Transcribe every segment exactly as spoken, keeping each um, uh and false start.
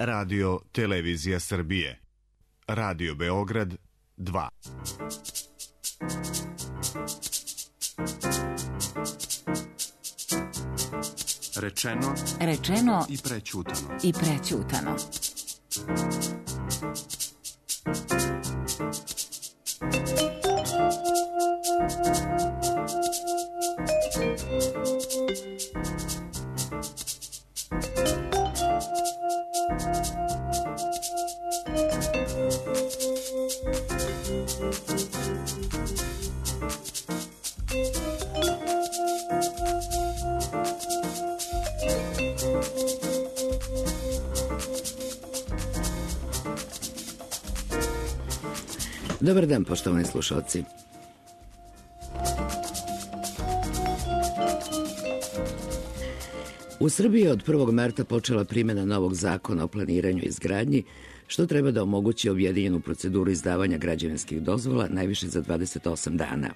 Radio Televizija Srbije. Radio Beograd dva. Rečeno, rečeno i prećutano. I prećutano. Dobar dan, poštovani slušalci. U Srbiji je od prvog marta počela primjena novog zakona o planiranju i izgradnji, što treba da omogući objedinjenu proceduru izdavanja građevinskih dozvola najviše za dvadeset osam dana.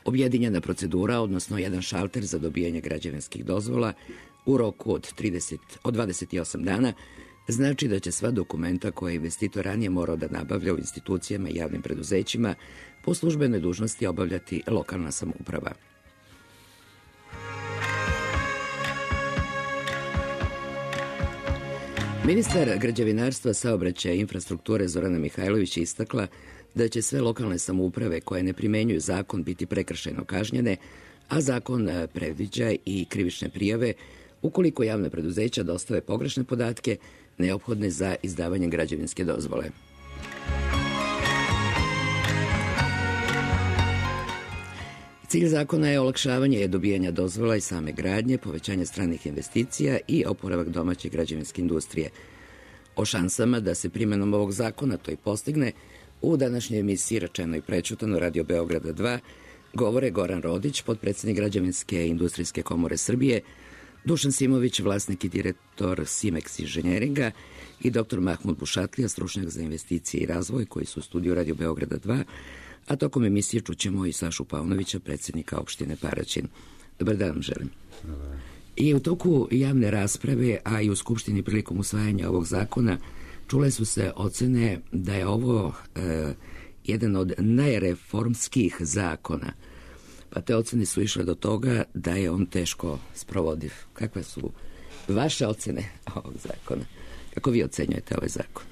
Objedinjena procedura, odnosno jedan šalter za dobijanje građevinskih dozvola u roku od, trideset, od dvadeset osam dana, znači da će sva dokumenta koje je investitor ranije morao da nabavlja u institucijama i javnim preduzećima po službenoj dužnosti obavljati lokalna samouprava. Ministar građevinarstva, saobraćaja i infrastrukture Zorana Mihajlović je istakla da će sve lokalne samouprave koje ne primenjuju zakon biti prekršajno kažnjene, a zakon predviđa i krivične prijave ukoliko javna preduzeća dostave pogrešne podatke neophodne za izdavanje građevinske dozvole. Cilj zakona je olakšavanje dobijanja dozvola i same gradnje, povećanje stranih investicija i oporavak domaće građevinske industrije. O šansama da se primjenom ovog zakona to i postigne, u današnjoj emisiji Rečeno i prećutano Radio Beograda dva govore Goran Rodić, potpredsednik Građevinske industrijske komore Srbije, Dušan Simović, vlasnik i direktor Simex inženjeringa i doktor Mahmud Bušatlija, stručnjak za investicije i razvoj, koji su u studiju Radio Beograda dva, a tokom emisije čućemo i Sašu Paunovića, predsjednika opštine Paraćin. Dobar dan vam želim. Dobar. I u toku javne rasprave, a i u Skupštini prilikom usvajanja ovog zakona, čule su se ocene da je ovo e, jedan od najreformskih zakona. Pa te ocene su išle do toga da je on teško sprovodiv. Kakve su vaše ocene ovog zakona? Kako vi ocenjujete ovaj zakon?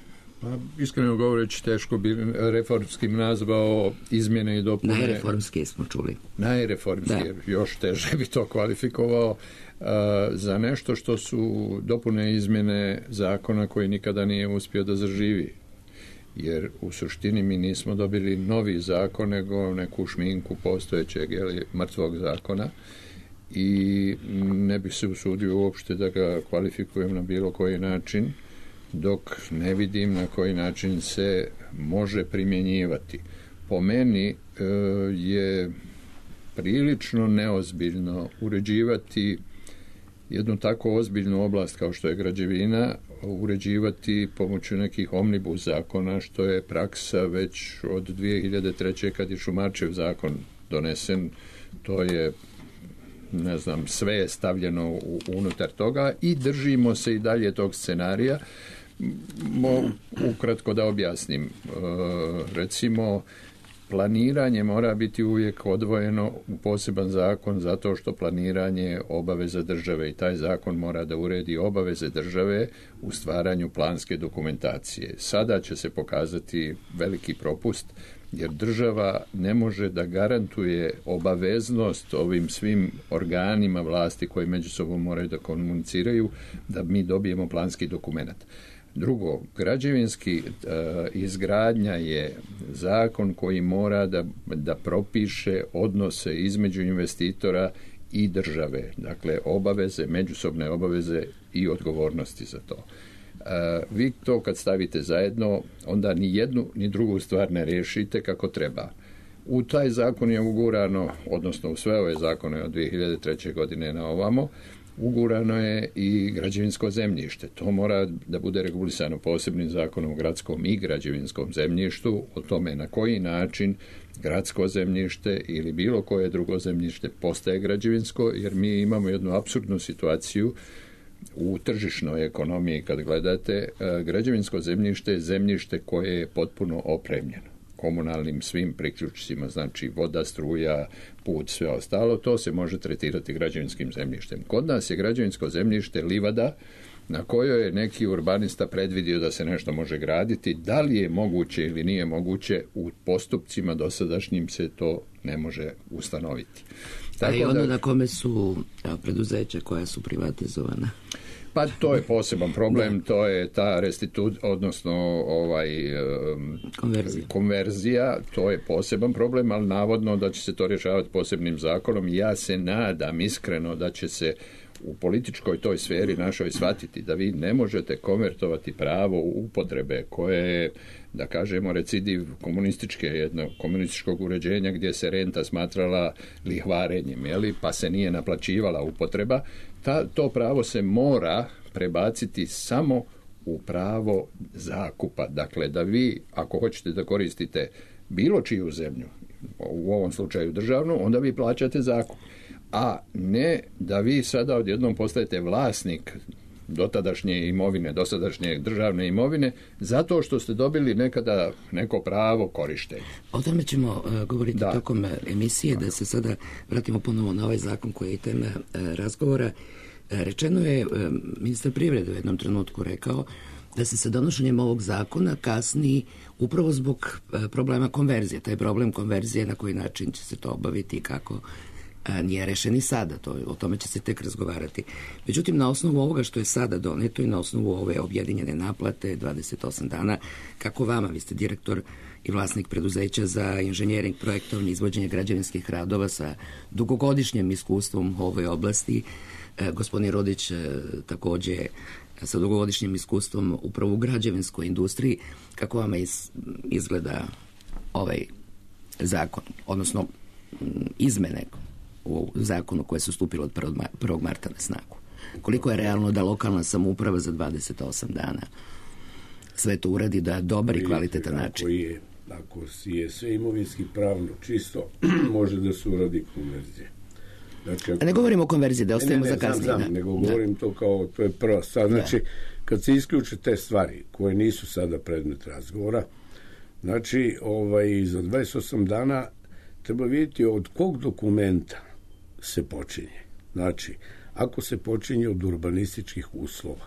Pa, iskreno govoreći, teško bi reformskim nazvao izmjene i dopune. Najreformskije smo čuli. Najreformskije, još teže bi to kvalifikovao uh, za nešto što su dopune izmjene zakona koji nikada nije uspio da zaživi. Jer u suštini mi nismo dobili novi zakon, nego neku šminku postojećeg ili mrtvog zakona i ne bih se usudio uopšte da ga kvalifikujem na bilo koji način, dok ne vidim na koji način se može primjenjivati. Po meni e, je prilično neozbiljno uređivati jednu tako ozbiljnu oblast kao što je građevina, uređivati pomoću nekih omnibus zakona, što je praksa već od dvije hiljade treće. kad je Šumarčev zakon donesen. To je, ne znam, sve je stavljeno u, unutar toga i držimo se i dalje tog scenarija. Mo, ukratko da objasnim. E, recimo, planiranje mora biti uvijek odvojeno u poseban zakon zato što planiranje je obaveza države i taj zakon mora da uredi obaveze države u stvaranju planske dokumentacije. Sada će se pokazati veliki propust jer država ne može da garantuje obaveznost ovim svim organima vlasti koji među sobom moraju da komuniciraju da mi dobijemo planski dokument. Drugo, građevinski uh, izgradnja je zakon koji mora da, da propiše odnose između investitora i države, dakle obaveze, međusobne obaveze i odgovornosti za to. Uh, vi to kad stavite zajedno, onda ni jednu ni drugu stvar ne riješite kako treba. U taj zakon je ugurano, odnosno u sve ove zakone od dvije hiljade treće. godine na ovamo, ugurano je i građevinsko zemljište. To mora da bude regulisano posebnim zakonom o gradskom i građevinskom zemljištu, o tome na koji način gradsko zemljište ili bilo koje drugo zemljište postaje građevinsko, jer mi imamo jednu apsurdnu situaciju u tržišnoj ekonomiji kad gledate, građevinsko zemljište je zemljište koje je potpuno opremljeno komunalnim svim priključcima, znači voda, struja, put, sve ostalo, to se može tretirati građevinskim zemljištem. Kod nas je građevinsko zemljište livada na kojoj je neki urbanista predvidio da se nešto može graditi. Da li je moguće ili nije moguće, u postupcima dosadašnjim se to ne može ustanoviti. Tako a i ono da, na kome su preduzeća koja su privatizovana? Pa to je poseban problem, to je ta restitut, odnosno ovaj, konverzija. konverzija, to je poseban problem, ali navodno da će se to rješavati posebnim zakonom. Ja se nadam iskreno da će se u političkoj toj sferi našoj shvatiti da vi ne možete konvertovati pravo upotrebe koje je, da kažemo, recidiv komunističke, jednog komunističkog uređenja gdje se renta smatrala lihvarenjem, jeli, pa se nije naplaćivala upotreba. Ta, to pravo se mora prebaciti samo u pravo zakupa. Dakle, da vi, ako hoćete da koristite bilo čiju zemlju, u ovom slučaju državnu, onda vi plaćate zakup. A ne da vi sada odjednom postajete vlasnik dotadašnje imovine, dosadašnje državne imovine, zato što ste dobili nekada neko pravo korištenja. O tome ćemo uh, govoriti da. tokom emisije, da se sada vratimo ponovo na ovaj zakon koji je tema uh, razgovora. Uh, rečeno je, uh, ministar privrede u jednom trenutku rekao da se sa donošenjem ovog zakona kasni upravo zbog uh, problema konverzije. Taj problem konverzije, na koji način će se to obaviti i kako, a nije rešen i sada, to, o tome će se tek razgovarati. Međutim, na osnovu ovoga što je sada doneto i na osnovu ove objedinjene naplate, dvadeset osam dana, kako vama, vi ste direktor i vlasnik preduzeća za inženjering, projektovanje, izvođenje građevinskih radova sa dugogodišnjim iskustvom u ovoj oblasti, e, gospodin Rodić e, takođe sa dugogodišnjim iskustvom upravo u građevinskoj industriji, kako vama iz, izgleda ovaj zakon, odnosno izmene u zakonu koje su stupile od prvog marta na snagu? Koliko je realno da lokalna samouprava za dvadeset osam dana sve to uradi da dobar i kvalitetan način? Ako je, ako je sve imovinski pravno čisto, može da se uradi konverzija. Znači, ako... Ne govorimo o konverziji, da ostavimo za kasnije. Ne, ne, znam, nego govorim to kao, to je prva stvar. Znači, da. Kad se isključe te stvari koje nisu sada predmet razgovora, znači, ovaj, za dvadeset osam dana treba vidjeti od kog dokumenta se počinje. Znači, ako se počinje od urbanističkih uslova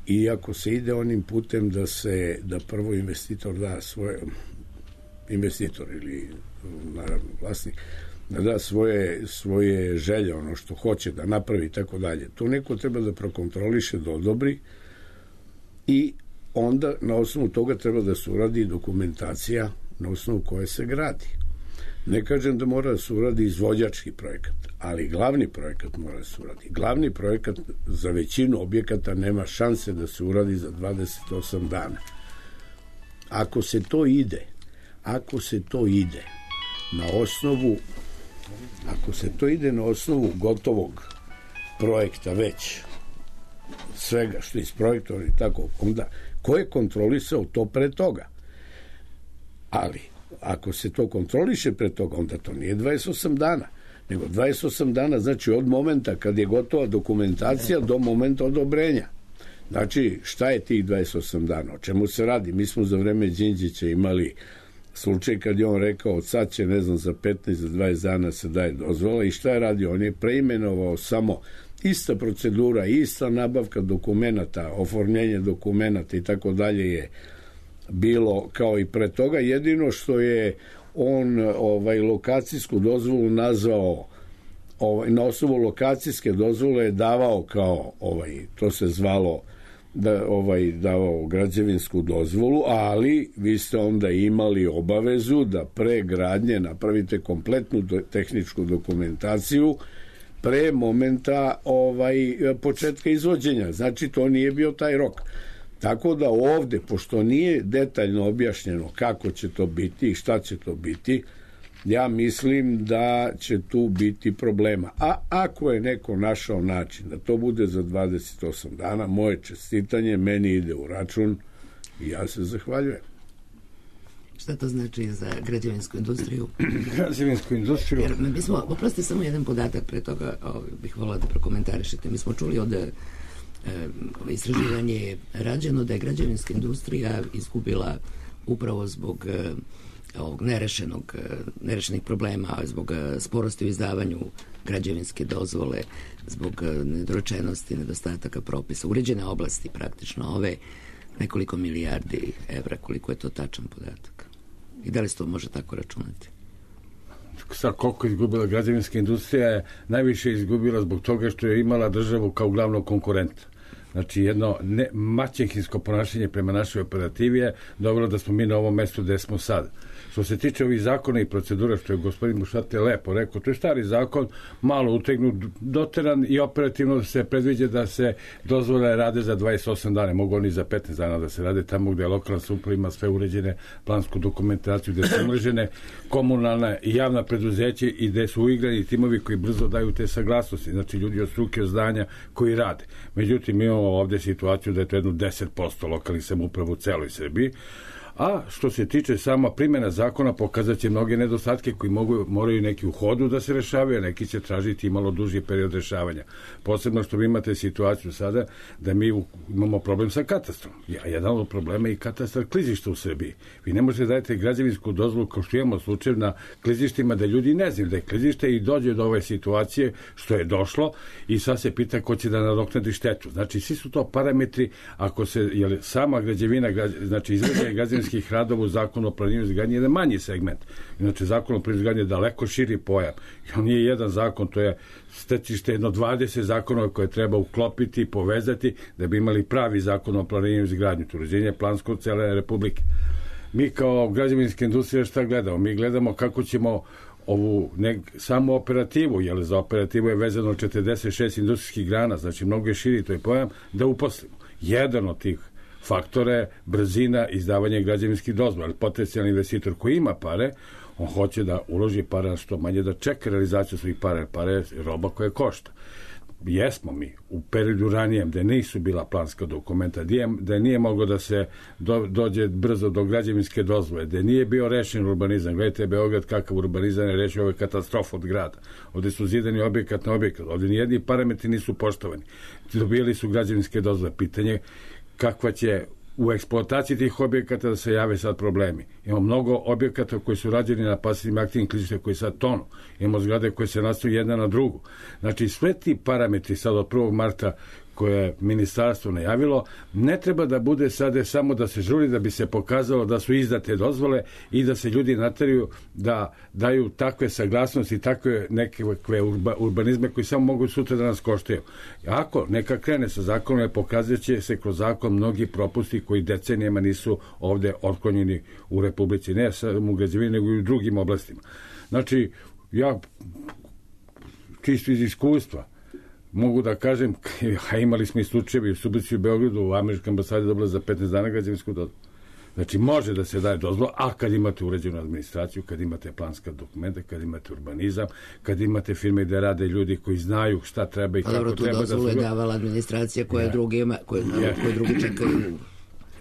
i ako se ide onim putem da se, da prvo investitor da svoje, investitor ili naravno vlasnik, da da svoje, svoje želje, ono što hoće da napravi i tako dalje. To neko treba da prokontroliše, da odobri i onda na osnovu toga treba da se uradi dokumentacija na osnovu koje se gradi. Ne kažem da mora da se uradi izvođački projekat, ali glavni projekat mora da se uradi. Glavni projekat za većinu objekata nema šanse da se uradi za dvadeset osam dana. Ako se to ide, ako se to ide na osnovu ako se to ide na osnovu gotovog projekta već, svega što je isprojektovano i tako, onda ko je kontrolisao to pre toga? Ali ako se to kontroliše pre toga, onda to nije dvadeset osam dana, nego dvadeset osam dana znači od momenta kad je gotova dokumentacija do momenta odobrenja. Znači, šta je tih dvadeset osam dana? O čemu se radi? Mi smo za vreme Đinđića imali slučaj kad je on rekao sad će, ne znam, za petnaest, za dvadeset dana se daje dozvola i šta je radio? On je preimenovao samo ista procedura, ista nabavka dokumenata, oformljenje dokumenata i tako dalje je bilo kao i pre toga, jedino što je on ovaj lokacijsku dozvolu nazvao, ovaj, na osnovu lokacijske dozvole je davao kao, ovaj, to se zvalo da ovaj davao građevinsku dozvolu, ali vi ste onda imali obavezu da pre gradnje napravite kompletnu do, tehničku dokumentaciju pre momenta ovaj početka izvođenja. Znači, to nije bio taj rok. Tako da ovde, pošto nije detaljno objašnjeno kako će to biti i šta će to biti, ja mislim da će tu biti problema. A ako je neko našao način da to bude za dvadeset osam dana, moje čestitanje, meni ide u račun i ja se zahvaljujem. Šta to znači za građevinsku industriju? Građevinsku industriju? Jer mi smo, oprosti samo jedan podatak pre toga, o, bih volila da prokomentarišete. Mi smo čuli od istraživanje je rađeno da je građevinska industrija izgubila upravo zbog ovog nerešenog, nerešenih problema, zbog sporosti u izdavanju građevinske dozvole, zbog nedorečenosti, nedostataka propisa, uređene oblasti praktično ove nekoliko milijardi evra, koliko je to tačan podatak. I da li se to može tako računati? Sad koliko je izgubila građevinska industrija je najviše izgubila zbog toga što je imala državu kao glavnog konkurenta. Znači jedno ne, maćehinsko ponašanje prema našoj operativi je dobro da smo mi na ovom mestu gde smo sad. Što se tiče ovih zakona i procedura, što je gospodin Mušate lepo rekao, to je stari zakon, malo utegnut, doteran i operativno se predviđa da se dozvole rade za dvadeset osam dana, mogu oni za petnaest dana da se rade tamo gde lokalna samouprava ima sve uređene, plansku dokumentaciju, gde su umrežene komunalna i javna preduzeća i gde su uigrani timovi koji brzo daju te saglasnosti, znači ljudi od struke, od zdanja koji rade. Međutim, imamo ovde situaciju da je to jedno deset posto lokalnih samouprava u celoj Srbiji. A što se tiče sama primjena zakona, pokazat će mnoge nedostatke koji mogu, moraju neki u hodu da se rešavaju, a neki će tražiti malo duži period rešavanja. Posebno što vi imate situaciju sada da mi u, imamo problem sa katastrom. Ja, jedan od problema je i katastar klizišta u Srbiji. Vi ne možete dajete građevinsku dozvolu kao što imamo slučaj na klizištima da ljudi ne znaju da je klizište i dođe do ove situacije što je došlo i sad se pita ko će da nadoknadi štetu. Znači, svi su to parametri ako se, jer sama građevina, znači izvedanje građevinskih radova u zakonu o planiranju i izgradnji je jedan manji segment. Inače, zakon o planiranju i izgradnji je daleko širi pojam. I on nije jedan zakon, to je stecište jedno dvadeset zakona koje treba uklopiti i povezati da bi imali pravi zakon o planiranju i izgradnji. To uređenje plansko cele Republike. Mi kao građevinska industrija šta gledamo? Mi gledamo kako ćemo ovu ne, samu operativu, jer za operativu je vezano četrdeset šest industrijskih grana, znači mnogo je širi to je pojam, da uposlimo. Jedan od tih faktore, brzina, izdavanje građevinskih dozvola. Ali potencijalni investitor koji ima pare, on hoće da uloži para što manje, da čeka realizaciju svojih para. Para je roba koja košta. Jesmo mi u periodu ranijem da nisu bila planska dokumenta, da nije moglo da se do, dođe brzo do građevinske dozvole, da nije bio rešen urbanizam. Gledajte Beograd kakav urbanizam je rešio, ovo je katastrofa od grada. Ovde su zidani objekat na objekat. Ovde nijedni parametri nisu poštovani. Dobijali su građevinske dozvole. Pitanje kakva će u eksploataciji tih objekata da se jave sad problemi. Imamo mnogo objekata koji su rađeni na pasivnim aktivnim klizištima koji sad tonu. Imamo zgrade koje se nastoju jedna na drugu. Znači, sve ti parametri sad od prvog marta koje je ministarstvo najavilo, ne treba da bude sada samo da se žuri da bi se pokazalo da su izdate dozvole i da se ljudi nateraju da daju takve saglasnosti i takve neke urba, urbanizme koji samo mogu sutra da nas koštaju. Ako neka krene sa zakonom, pokazat će se kroz zakon mnogi propusti koji decenijama nisu ovde otklonjeni u Republici, ne samo u građevini, nego i u drugim oblastima. Znači, ja čisto iz iskustva mogu da kažem, a imali smo i slučajevi u Subotici i u Beogradu, u američkoj ambasadi dobila za petnaest dana građevinsku dozvolu. Znači, može da se daje dozvola, a kad imate uređenu administraciju, kad imate planska dokumenta, kad imate urbanizam, kad imate firme gde rade ljudi koji znaju šta treba i kako dobro, treba da se... Dobro, tu dozvolu je davala administracija koja, ja. drugi, ima, koja, ja. koje drugi čekaju...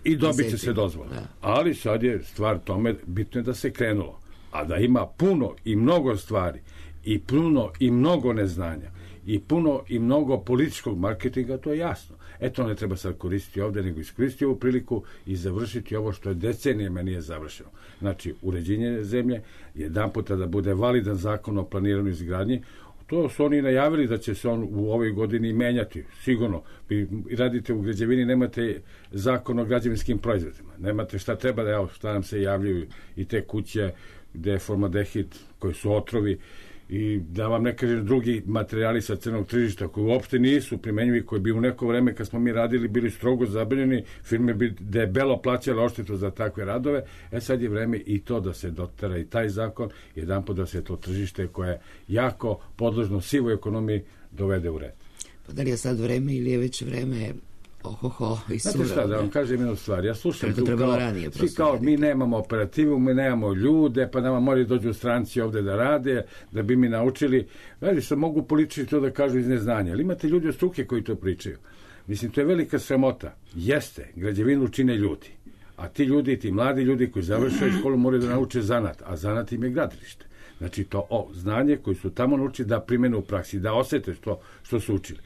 I dobit će se dozvola. Ja. Ali sad je stvar tome, bitno je da se krenulo. A da ima puno i mnogo stvari, i puno i mnogo neznanja, i puno i mnogo političkog marketinga, to je jasno. Eto, ne treba sad koristiti ovde, nego iskoristiti ovu priliku i završiti ovo što je decenijama nije završeno. Znači, uređenje zemlje, jedan puta da bude validan zakon o planiranju izgradnji, to su oni najavili da će se on u ovoj godini menjati, sigurno. Vi radite u građevini, nemate zakon o građevinskim proizvodima, nemate šta treba da, evo, šta nam se javljaju i te kuće gde je formaldehid, koji su otrovi, i da vam ne kažem drugi materijali sa crnog tržišta koji uopšte nisu primenjivi, koji bi u neko vreme kad smo mi radili bili strogo zabranjeni, firme bi debelo plaćale odštetu za takve radove. E sad je vreme i to da se dotera i taj zakon, jedanput da se to tržište koje je jako podložno sivoj ekonomiji dovede u red. Pa da li je sad vreme ili je već vreme ohoho i sura? Znate šta, da vam kažem jednu stvar, ja slušam to tu kao, ranije, svi kao mi nemamo operativu, mi nemamo ljude, pa nama moraju dođu stranci ovde da rade, da bi mi naučili. Veli što mogu politički to da kažu iz neznanja, ali imate ljudi od struke koji to pričaju. Mislim, to je velika sramota. Jeste, građevinu čine ljudi, a ti ljudi, ti mladi ljudi koji završaju školu moraju da nauče zanat, a zanat im je gradilište. Znači to o, znanje koji su tamo naučili da primene u praksi, da osete što, što su učili.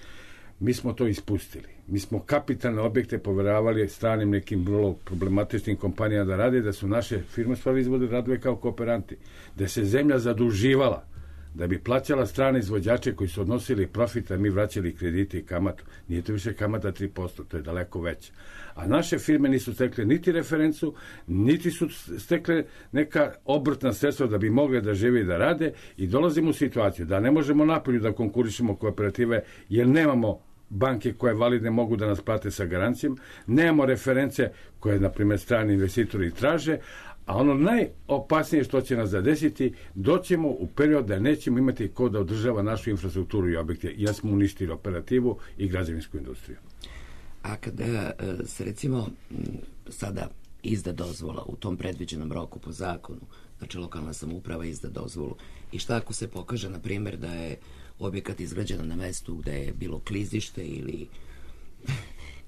mi smo to ispustili. Mi smo kapitalne objekte povjeravali stranim nekim vrlo problematičnim kompanijama da rade, da su naše firme stvari izvode radile kao kooperanti, da se zemlja zaduživala, da bi plaćala strane izvođače koji su odnosili profit, a mi vraćali kredite i kamatu. Nije to više kamata tri posto, to je daleko veće. A naše firme nisu stekle niti referencu, niti su stekle neka obrtna sredstva da bi mogle da žive i da rade, i dolazimo u situaciju da ne možemo napolju da konkurišemo kooperative jer nemamo banke koje validne mogu da nas plate sa garancijom, nemamo reference koje, na primjer, strani investitori traže, a ono najopasnije što će nas zadesiti, doćemo u period da nećemo imati ko da održava našu infrastrukturu i objekte, jer smo uništili operativu i građevinsku industriju. A kada se, recimo, sada izda dozvola u tom predviđenom roku po zakonu, znači lokalna samouprava izda dozvolu, i šta ako se pokaže, na primjer, da je objekat izgrađen na mestu gde je bilo klizište ili...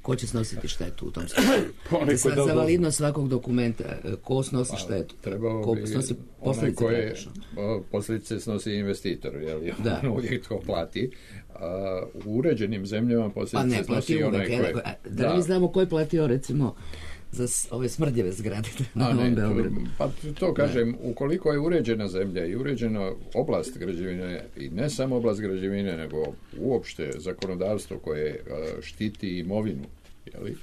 Ko će snositi štetu u tom slučaju? Za, za validnost svakog dokumenta, ko snosi štetu? Trebao ko bi snosi posljedice koje posljedice snosi investitor, jer je on uvijek to plati. A u uređenim zemljama posljedice pa snosi uvijek, onaj koje... Da, da li znamo ko je platio, recimo, za ove smrdljeve zgrade na Novom Beogradu? Pa to kažem, ukoliko je uređena zemlja i uređena oblast građevine, i ne samo oblast građevine, nego uopšte zakonodavstvo koje štiti imovinu, jeli,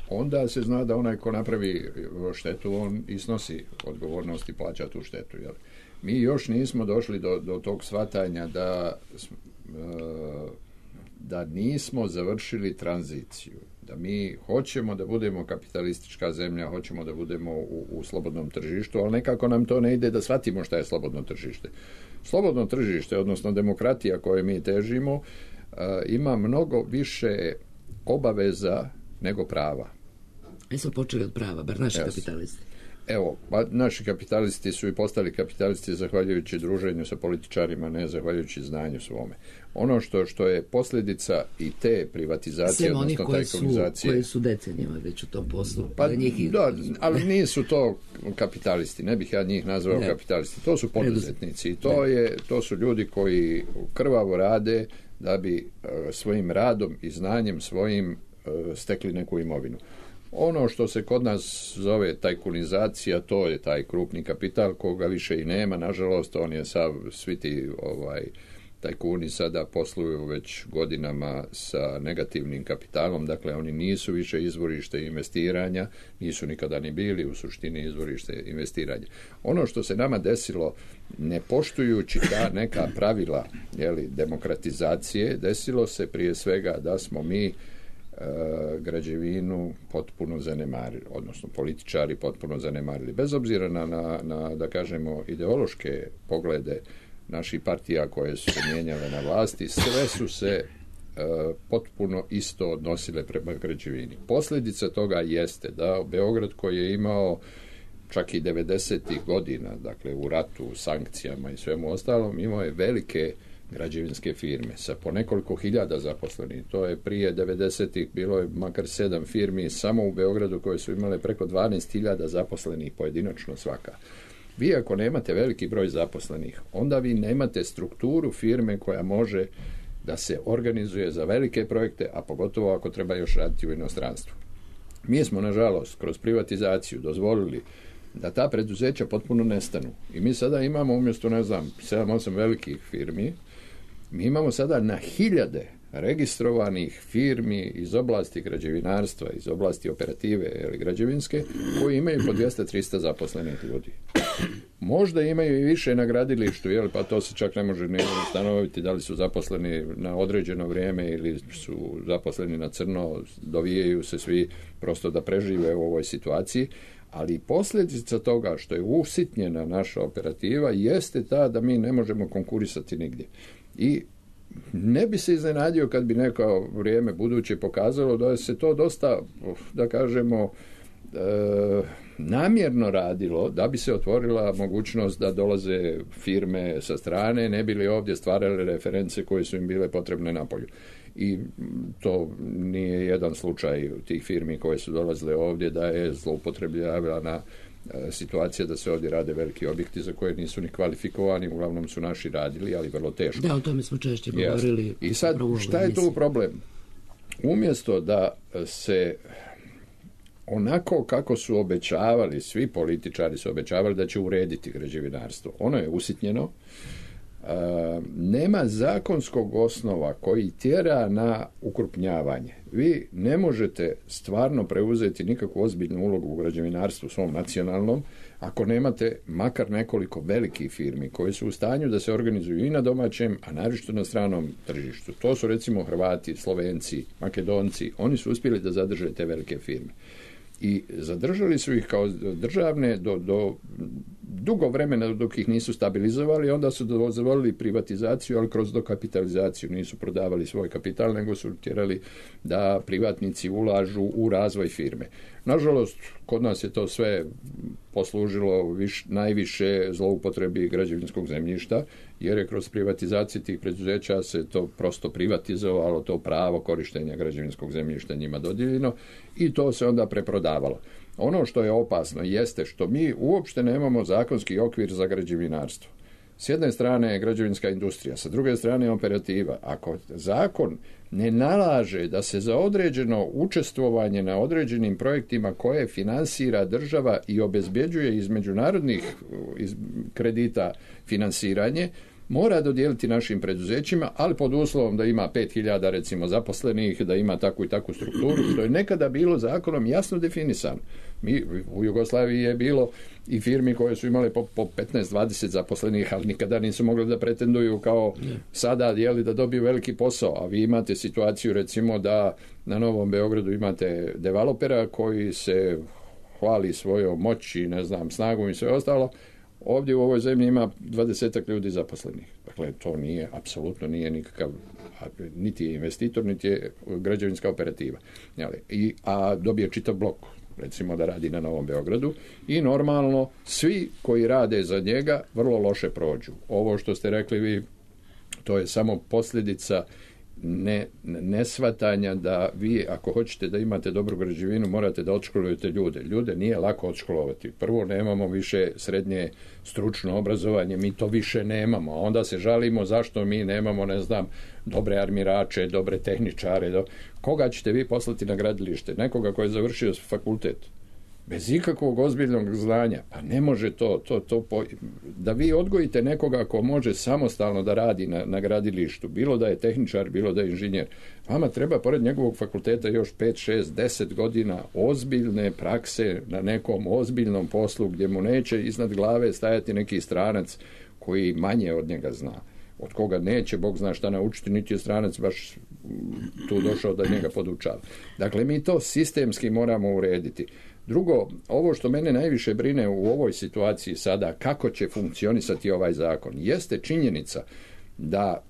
onda se zna da onaj ko napravi štetu, on i snosi odgovornost i plaća tu štetu. Jeli. Mi još nismo došli do, do tog shvatanja da, da nismo završili tranziciju. Da mi hoćemo da budemo kapitalistička zemlja, hoćemo da budemo u, u slobodnom tržištu, ali nekako nam to ne ide da shvatimo šta je slobodno tržište. Slobodno tržište, odnosno demokratija koje mi težimo, uh, ima mnogo više obaveza nego prava. Mi smo počeli od prava, bar naši yes. kapitalisti. Evo, pa naši kapitalisti su i postali kapitalisti zahvaljujući druženju sa političarima, ne zahvaljujući znanju svome. Ono što, što je posljedica i te privatizacije, sem odnosno tajkunizacije... koji su decenijama već u tom poslu. Pa, njih... da, ali nisu to kapitalisti, ne bih ja njih nazvao ne. kapitalisti, to su poduzetnici. I to, je, to su ljudi koji krvavo rade da bi uh, svojim radom i znanjem svojim uh, stekli neku imovinu. Ono što se kod nas zove tajkunizacija, to je taj krupni kapital koga više i nema, nažalost, on je sav, svi ti ovaj, tajkuni sada posluju već godinama sa negativnim kapitalom, dakle oni nisu više izvorište investiranja, nisu nikada ni bili u suštini izvorište investiranja. Ono što se nama desilo, ne poštujući ta neka pravila, jeli, demokratizacije, desilo se prije svega da smo mi građevinu potpuno zanemarili, odnosno političari potpuno zanemarili. Bez obzira na, na, na da kažemo, ideološke poglede naših partija koje su se mijenjale na vlasti, sve su se uh, potpuno isto odnosile prema građevini. Posljedica toga jeste da Beograd, koji je imao čak i devedesetih godina, dakle u ratu, sankcijama i svemu ostalom, imao je velike građevinske firme sa po nekoliko hiljada zaposlenih. To je prije devedesetih bilo je makar sedam firmi samo u Beogradu koje su imale preko dvanaest hiljada zaposlenih pojedinačno svaka. Vi ako nemate veliki broj zaposlenih, onda vi nemate strukturu firme koja može da se organizuje za velike projekte, a pogotovo ako treba još raditi u inostranstvu. Mi smo, nažalost, kroz privatizaciju dozvolili da ta preduzeća potpuno nestanu. I mi sada imamo umjesto, ne znam, sedam osam velikih firmi, mi imamo sada na hiljade registrovanih firmi iz oblasti građevinarstva, iz oblasti operative ili građevinske, koji imaju po dvjesto do trista zaposlenih ljudi. Možda imaju i više na gradilištu, jel, pa to se čak ne može ne ustanoviti da li su zaposleni na određeno vrijeme ili su zaposleni na crno, dovijaju se svi prosto da prežive u ovoj situaciji. Ali posljedica toga što je usitnjena naša operativa jeste ta da mi ne možemo konkurisati nigdje. I ne bi se iznenadio kad bi neko vrijeme buduće pokazalo da se to dosta, da kažemo, e, namjerno radilo, da bi se otvorila mogućnost da dolaze firme sa strane, ne bi li ovdje stvarale reference koje su im bile potrebne napolju. I to nije jedan slučaj tih firmi koje su dolazile ovdje da je zloupotrebljavana situacija da se ovdje rade veliki objekti za koje nisu ni kvalifikovani, uglavnom su naši radili, ali vrlo teško. Da, o tome smo češće govorili. I sad, šta je tu problem? Umjesto da se onako kako su obećavali, svi političari su obećavali da će urediti građevinarstvo, ono je usitnjeno, nema zakonskog osnova koji tjera na ukrupnjavanje. Vi ne možete stvarno preuzeti nikakvu ozbiljnu ulogu u građevinarstvu svom nacionalnom ako nemate makar nekoliko velikih firmi koje su u stanju da se organizuju i na domaćem, a naročito na stranom tržištu. To su recimo Hrvati, Slovenci, Makedonci. Oni su uspjeli da zadrže te velike firme. I zadržali su ih kao državne do, do dugo vremena dok ih nisu stabilizovali, onda su dozvolili privatizaciju, ali kroz dokapitalizaciju. Nisu prodavali svoj kapital, nego su tjerali da privatnici ulažu u razvoj firme. Nažalost, kod nas je to sve poslužilo viš, najviše zloupotrebi građevinskog zemljišta, jer je kroz privatizaciju tih preduzeća se to prosto privatizovalo, to pravo korištenja građevinskog zemljišta njima dodijeljeno i to se onda preprodavalo. Ono što je opasno jeste što mi uopšte nemamo zakonski okvir za građevinarstvo. S jedne strane je građevinska industrija, sa druge strane je operativa. Ako zakon ne nalaže da se za određeno učestvovanje na određenim projektima koje finansira država i obezbjeđuje iz međunarodnih iz kredita finansiranje, mora dodijeliti našim preduzećima, ali pod uslovom da ima pet hiljada recimo zaposlenih, da ima takvu i takvu strukturu, što je nekada bilo zakonom jasno definisano. Mi, u Jugoslaviji je bilo i firmi koje su imale po, po petnaest dvadeset zaposlenih, ali nikada nisu mogli da pretenduju kao sada jeli, da dobiju veliki posao, a vi imate situaciju recimo da na Novom Beogradu imate developera koji se hvali svojom moći, ne znam, snagom i sve ostalo. Ovdje u ovoj zemlji ima dvadesetak ljudi zaposlenih. Dakle, to nije, apsolutno nije nikakav, niti je investitor, niti je građevinska operativa. I, a dobije čitav blok, recimo da radi na Novom Beogradu, i normalno svi koji rade za njega vrlo loše prođu. Ovo što ste rekli vi, to je samo posljedica ne, neshvatanja da vi, ako hoćete da imate dobru građevinu, morate da odškolujete ljude. Ljude nije lako odškolovati. Prvo, nemamo više srednje stručno obrazovanje, mi to više nemamo. A onda se žalimo zašto mi nemamo, ne znam, dobre armirače, dobre tehničare. Do... Koga ćete vi poslati na gradilište? Nekoga koji je završio fakultet? Bez ikakvog ozbiljnog znanja. Pa ne može to, to, to po... da vi odgojite nekoga ko može samostalno da radi na, na gradilištu, bilo da je tehničar, bilo da je inženjer. Vama treba pored njegovog fakulteta još pet, šest, deset godina ozbiljne prakse na nekom ozbiljnom poslu gdje mu neće iznad glave stajati neki stranac koji manje od njega zna, od koga neće Bog zna šta naučiti, niti je stranac baš tu došao da njega podučava. Dakle, mi to sistemski moramo urediti. Drugo, ovo što mene najviše brine u ovoj situaciji sada, kako će funkcionisati ovaj zakon, jeste činjenica da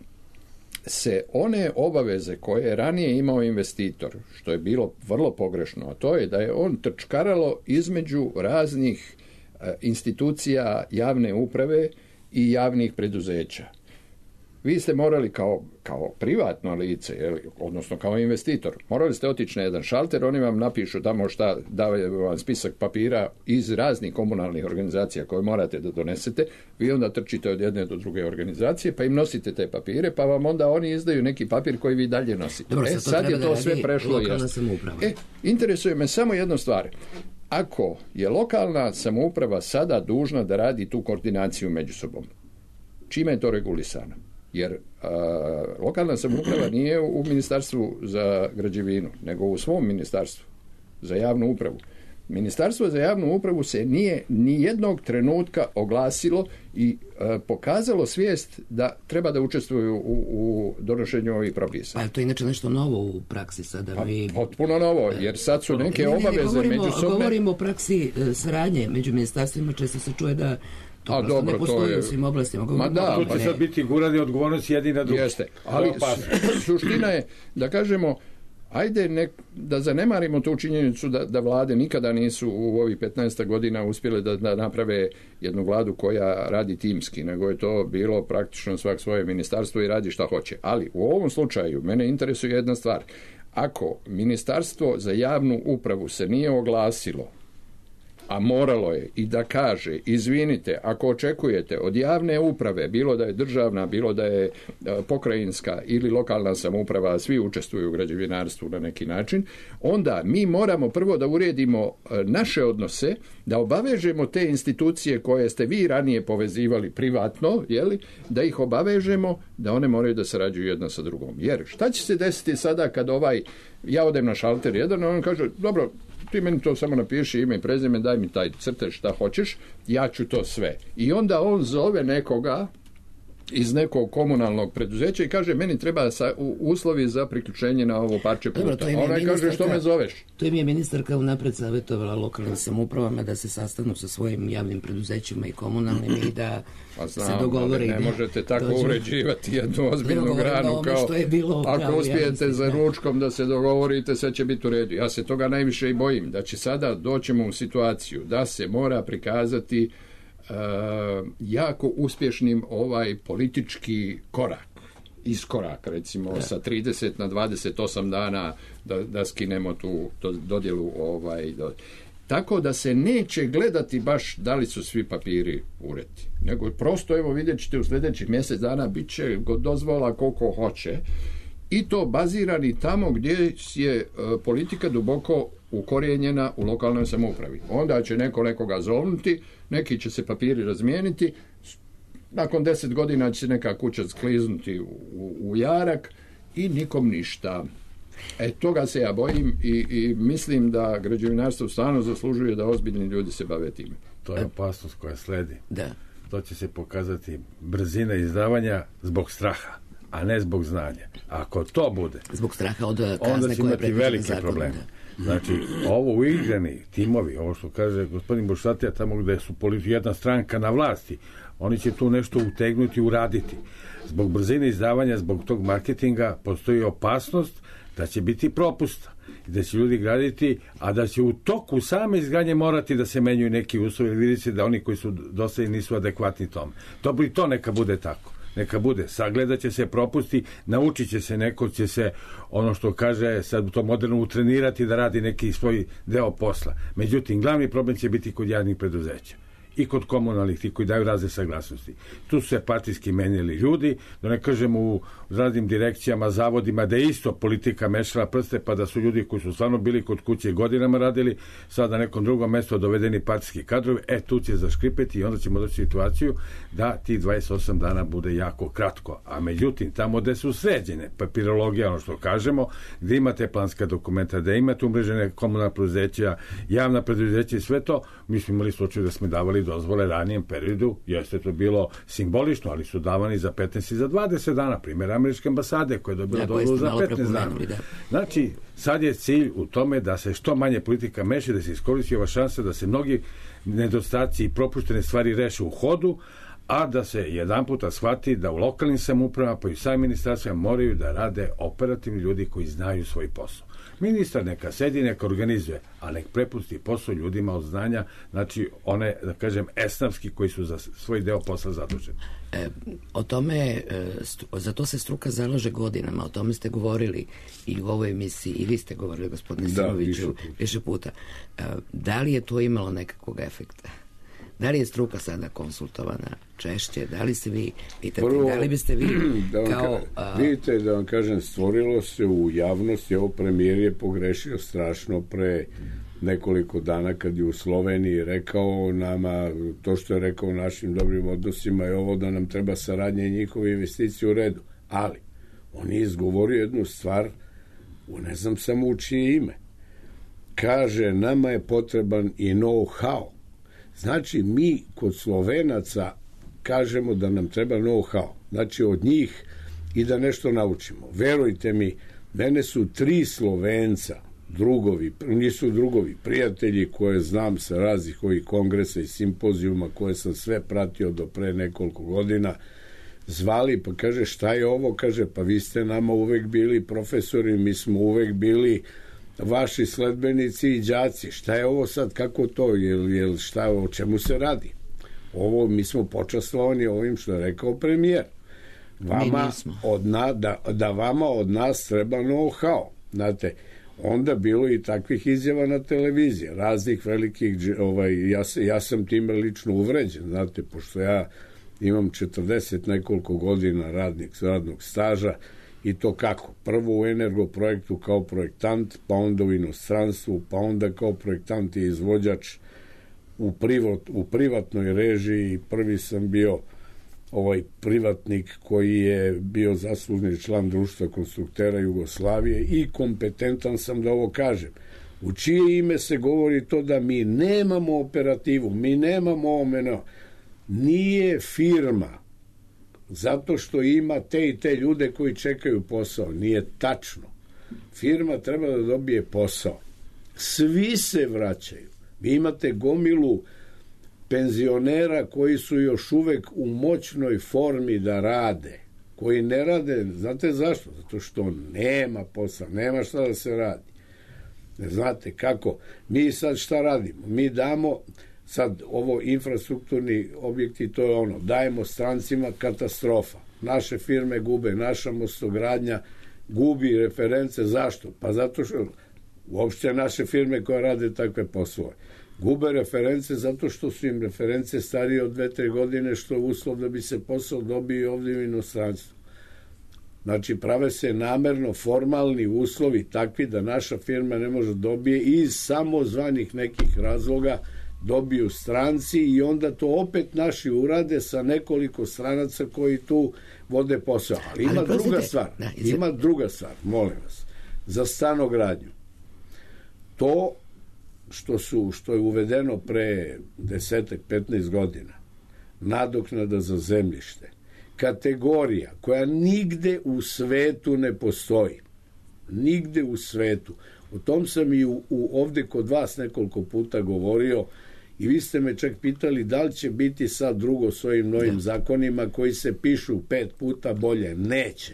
se one obaveze koje je ranije imao investitor, što je bilo vrlo pogrešno, a to je da je on trčkaralo između raznih e, institucija javne uprave i javnih preduzeća. Vi ste morali kao, kao privatno lice, jel, odnosno kao investitor, morali ste otići na jedan šalter, oni vam napišu tamo šta, daju vam spisak papira iz raznih komunalnih organizacija koje morate da donesete, vi onda trčite od jedne do druge organizacije, pa im nosite te papire, pa vam onda oni izdaju neki papir koji vi dalje nosite. Dobro, e, sad je to da sve prešlo. E, interesuje me samo jednu stvar. Ako je lokalna samouprava sada dužna da radi tu koordinaciju među sobom, čime je to regulisano? Jer a, lokalna samouprava nije u ministarstvu za građevinu, nego u svom ministarstvu za javnu upravu. Ministarstvo za javnu upravu se nije ni jednog trenutka oglasilo i a, pokazalo svijest da treba da učestvuju u, u donošenju ovih propisa. Pa je to inače nešto novo u praksi sada? Pa, mi... Potpuno novo, jer sad su neke ne, ne, obaveze govorimo, međusobne. Govorimo o praksi e, saradnje među ministarstvima, često se čuje da to A, dobro, ne postoji je... u svim oblastima. Ma da, tu će sad biti gurani odgovornost jedni na drugi. Jeste, ali suština je da kažemo, ajde nek, da zanemarimo tu činjenicu da, da vlade nikada nisu u ovih petnaest godina uspjele da, da naprave jednu vladu koja radi timski, nego je to bilo praktično svak svoje ministarstvo i radi šta hoće. Ali u ovom slučaju mene interesuje jedna stvar. Ako ministarstvo za javnu upravu se nije oglasilo a moralo je i da kaže, izvinite, ako očekujete od javne uprave, bilo da je državna, bilo da je pokrajinska ili lokalna samouprava, svi učestvuju u građevinarstvu na neki način, onda mi moramo prvo da uredimo naše odnose, da obavežemo te institucije koje ste vi ranije povezivali privatno, jeli, da ih obavežemo da one moraju da sarađuju jedna sa drugom. Jer šta će se desiti sada kad ovaj, ja odem na šalter jedan, on kaže, dobro, ti meni to samo napiši ime i prezime, daj mi taj crtež šta hoćeš, ja ću to sve. I onda on zove nekoga iz nekog komunalnog preduzeća i kaže, meni treba sa, u, uslovi za priključenje na ovo parče puta. Dobro, ona kaže, što me zoveš? To im je ministarka unapred savjetovala lokalnim samoupravama da se sastanu sa svojim javnim preduzećima i komunalnim i da pa znam, se dogovore. Ne možete tako dođu... uređivati jednu ozbiljnu granu kao ako uspijete za ručkom da se dogovorite, sve će biti u redu. Ja se toga najviše i bojim, da će sada doćemo u situaciju da se mora prikazati Uh, jako uspješnim ovaj politički korak, iskorak recimo da. Sa trideset na dvadeset osam dana da, da skinemo tu do, dodjelu ovaj, do, tako da se neće gledati baš da li su svi papiri ureti, nego prosto evo vidjet ćete u sljedećih mjesec dana bit će dozvola koliko hoće i to bazirani tamo gdje je uh, politika duboko ukorijenjena u lokalnoj samoupravi. Onda će neko nekoga zovnuti, neki će se papiri razmijeniti, nakon deset godina će se neka kuća skliznuti u, u, u jarak i nikom ništa. E, toga se ja bojim i, i mislim da građevinarstvo stvarno zaslužuje da ozbiljni ljudi se bave time. To je opasnost koja sledi. Da. To će se pokazati brzina izdavanja zbog straha, a ne zbog znanja. Ako to bude, zbog straha od kazne onda će imati velike probleme. Znači, ovo uigrani timovi, ovo što kaže gospodin Bušatija, tamo gde su politi, jedna stranka na vlasti, oni će tu nešto utegnuti, uraditi. Zbog brzine izdavanja, zbog tog marketinga, postoji opasnost da će biti propusta i da će ljudi graditi, a da će u toku same izgradnje morati da se menjuju neki uslovi, ili vidite da oni koji su dosta nisu adekvatni tome. To, to neka bude tako. Neka bude, sagledat će se propusti, naučit će se, neko će se, ono što kaže, sad to moderno utrenirati da radi neki svoj deo posla. Međutim, glavni problem će biti kod javnih preduzeća i kod komunalnih, ti koji daju razne saglasnosti. Tu su se partijski menjali ljudi, da ne kažem u raznim direkcijama, zavodima, da je isto politika mešala prste, pa da su ljudi koji su stvarno bili kod kuće godinama radili, sad na nekom drugom mjestu dovedeni partijski kadrovi, e, tu će zaškripeti i onda ćemo doći situaciju da ti dvadeset osam dana bude jako kratko. A međutim, tamo gde su sređene papirologija, ono što kažemo, gde imate planska dokumenta, da imate umrežene komunalna preduzeća, javna preduzeća i sve to, mi smo imali slučaj da smo davali dozvole ranijem periodu, jeste to bilo simbolično, ali su davani za petnaest i za dvadeset dana, primjer američke ambasade koja je dobila dozvolu za petnaest dana. Da. Znači, sad je cilj u tome da se što manje politika meši, da se iskoristi ova šansa da se mnogi nedostaci i propuštene stvari reše u hodu, a da se jedan puta shvati da u lokalnim samoupravama pa i samim ministarstvima moraju da rade operativni ljudi koji znaju svoj posao. Ministar neka sedi, neka organizuje, a nek prepusti posao ljudima od znanja, znači one, da kažem, esnavski koji su za svoj deo posla zaduženi. E, o tome, e, stru, za to se struka zalaže godinama, o tome ste govorili i u ovoj emisiji, i vi ste govorili, gospodine Simoviću, više puta. E, da li je to imalo nekakvog efekta? Da li je struka sada konsultovana češće? Da li se vi pitate? Prvo, da li biste vi da kao... Ka, vidite, da vam kažem, stvorilo se u javnosti, ovo premijer je pogrešio strašno pre nekoliko dana kad je u Sloveniji rekao nama, to što je rekao o našim dobrim odnosima je ovo da nam treba saradnje i njihove investicije u redu. Ali, on je izgovorio jednu stvar, ne znam samo u čije ime. Kaže, nama je potreban i know-how. Znači, mi kod Slovenaca kažemo da nam treba know-how. Znači, od njih i da nešto naučimo. Verujte mi, mene su tri Slovenca, drugovi, nisu drugovi, prijatelji koje znam sa raznih ovih kongresa i simpozijuma koje sam sve pratio do pre nekoliko godina, zvali, pa kaže, šta je ovo? Kaže, pa vi ste nama uvek bili profesori, mi smo uvek bili vaši sledbenici i đaci, šta je ovo sad, kako to, jel, jel, šta, o čemu se radi? Ovo, mi smo počastvovani ovim što je rekao premijer. Vama od na, da, da vama od nas treba know-how. Znate, onda bilo i takvih izjava na televiziji, raznih velikih, ovaj, ja, ja sam time lično uvređen, znate, pošto ja imam četrdeset nekoliko godina radnik, radnog staža, i to kako? Prvo u Energoprojektu kao projektant, pa onda u inostranstvu, pa onda kao projektant i izvođač u, privat, u privatnoj režiji. Prvi sam bio ovaj privatnik koji je bio zaslužni član Društva konstruktera Jugoslavije i kompetentan sam da ovo kažem. U čije ime se govori to da mi nemamo operativu, mi nemamo omeno. Nije firma zato što ima te i te ljude koji čekaju posao. Nije tačno. Firma treba da dobije posao. Svi se vraćaju. Vi imate gomilu penzionera koji su još uvek u moćnoj formi da rade. Koji ne rade, znate zašto? Zato što nema posla, nema šta da se radi. Ne znate kako. Mi sad šta radimo? Mi damo sad ovo infrastrukturni objekti, to je ono, dajemo strancima, katastrofa. Naše firme gube, naša mostogradnja gubi reference. Zašto? Pa zato što uopšte naše firme koje rade takve poslove gube reference zato što su im reference starije od dve, tri godine, što je uslov da bi se posao dobio ovdje u inostranstvu. Znači, prave se namerno formalni uslovi takvi da naša firma ne može dobije iz samozvanih nekih razloga dobiju stranci i onda to opet naši urade sa nekoliko stranaca koji tu vode posao. Ali ima Ali, druga stvar, da, ima druga stvar, molim vas, za stanogradnju. To što su, što je uvedeno pre desetak, petnaest godina, nadoknada za zemljište, kategorija koja nigde u svetu ne postoji. Nigde u svetu. O tom sam i u, u, ovde kod vas nekoliko puta govorio i vi ste me čak pitali da li će biti sad drugo s ovim novim zakonima koji se pišu pet puta bolje. Neće.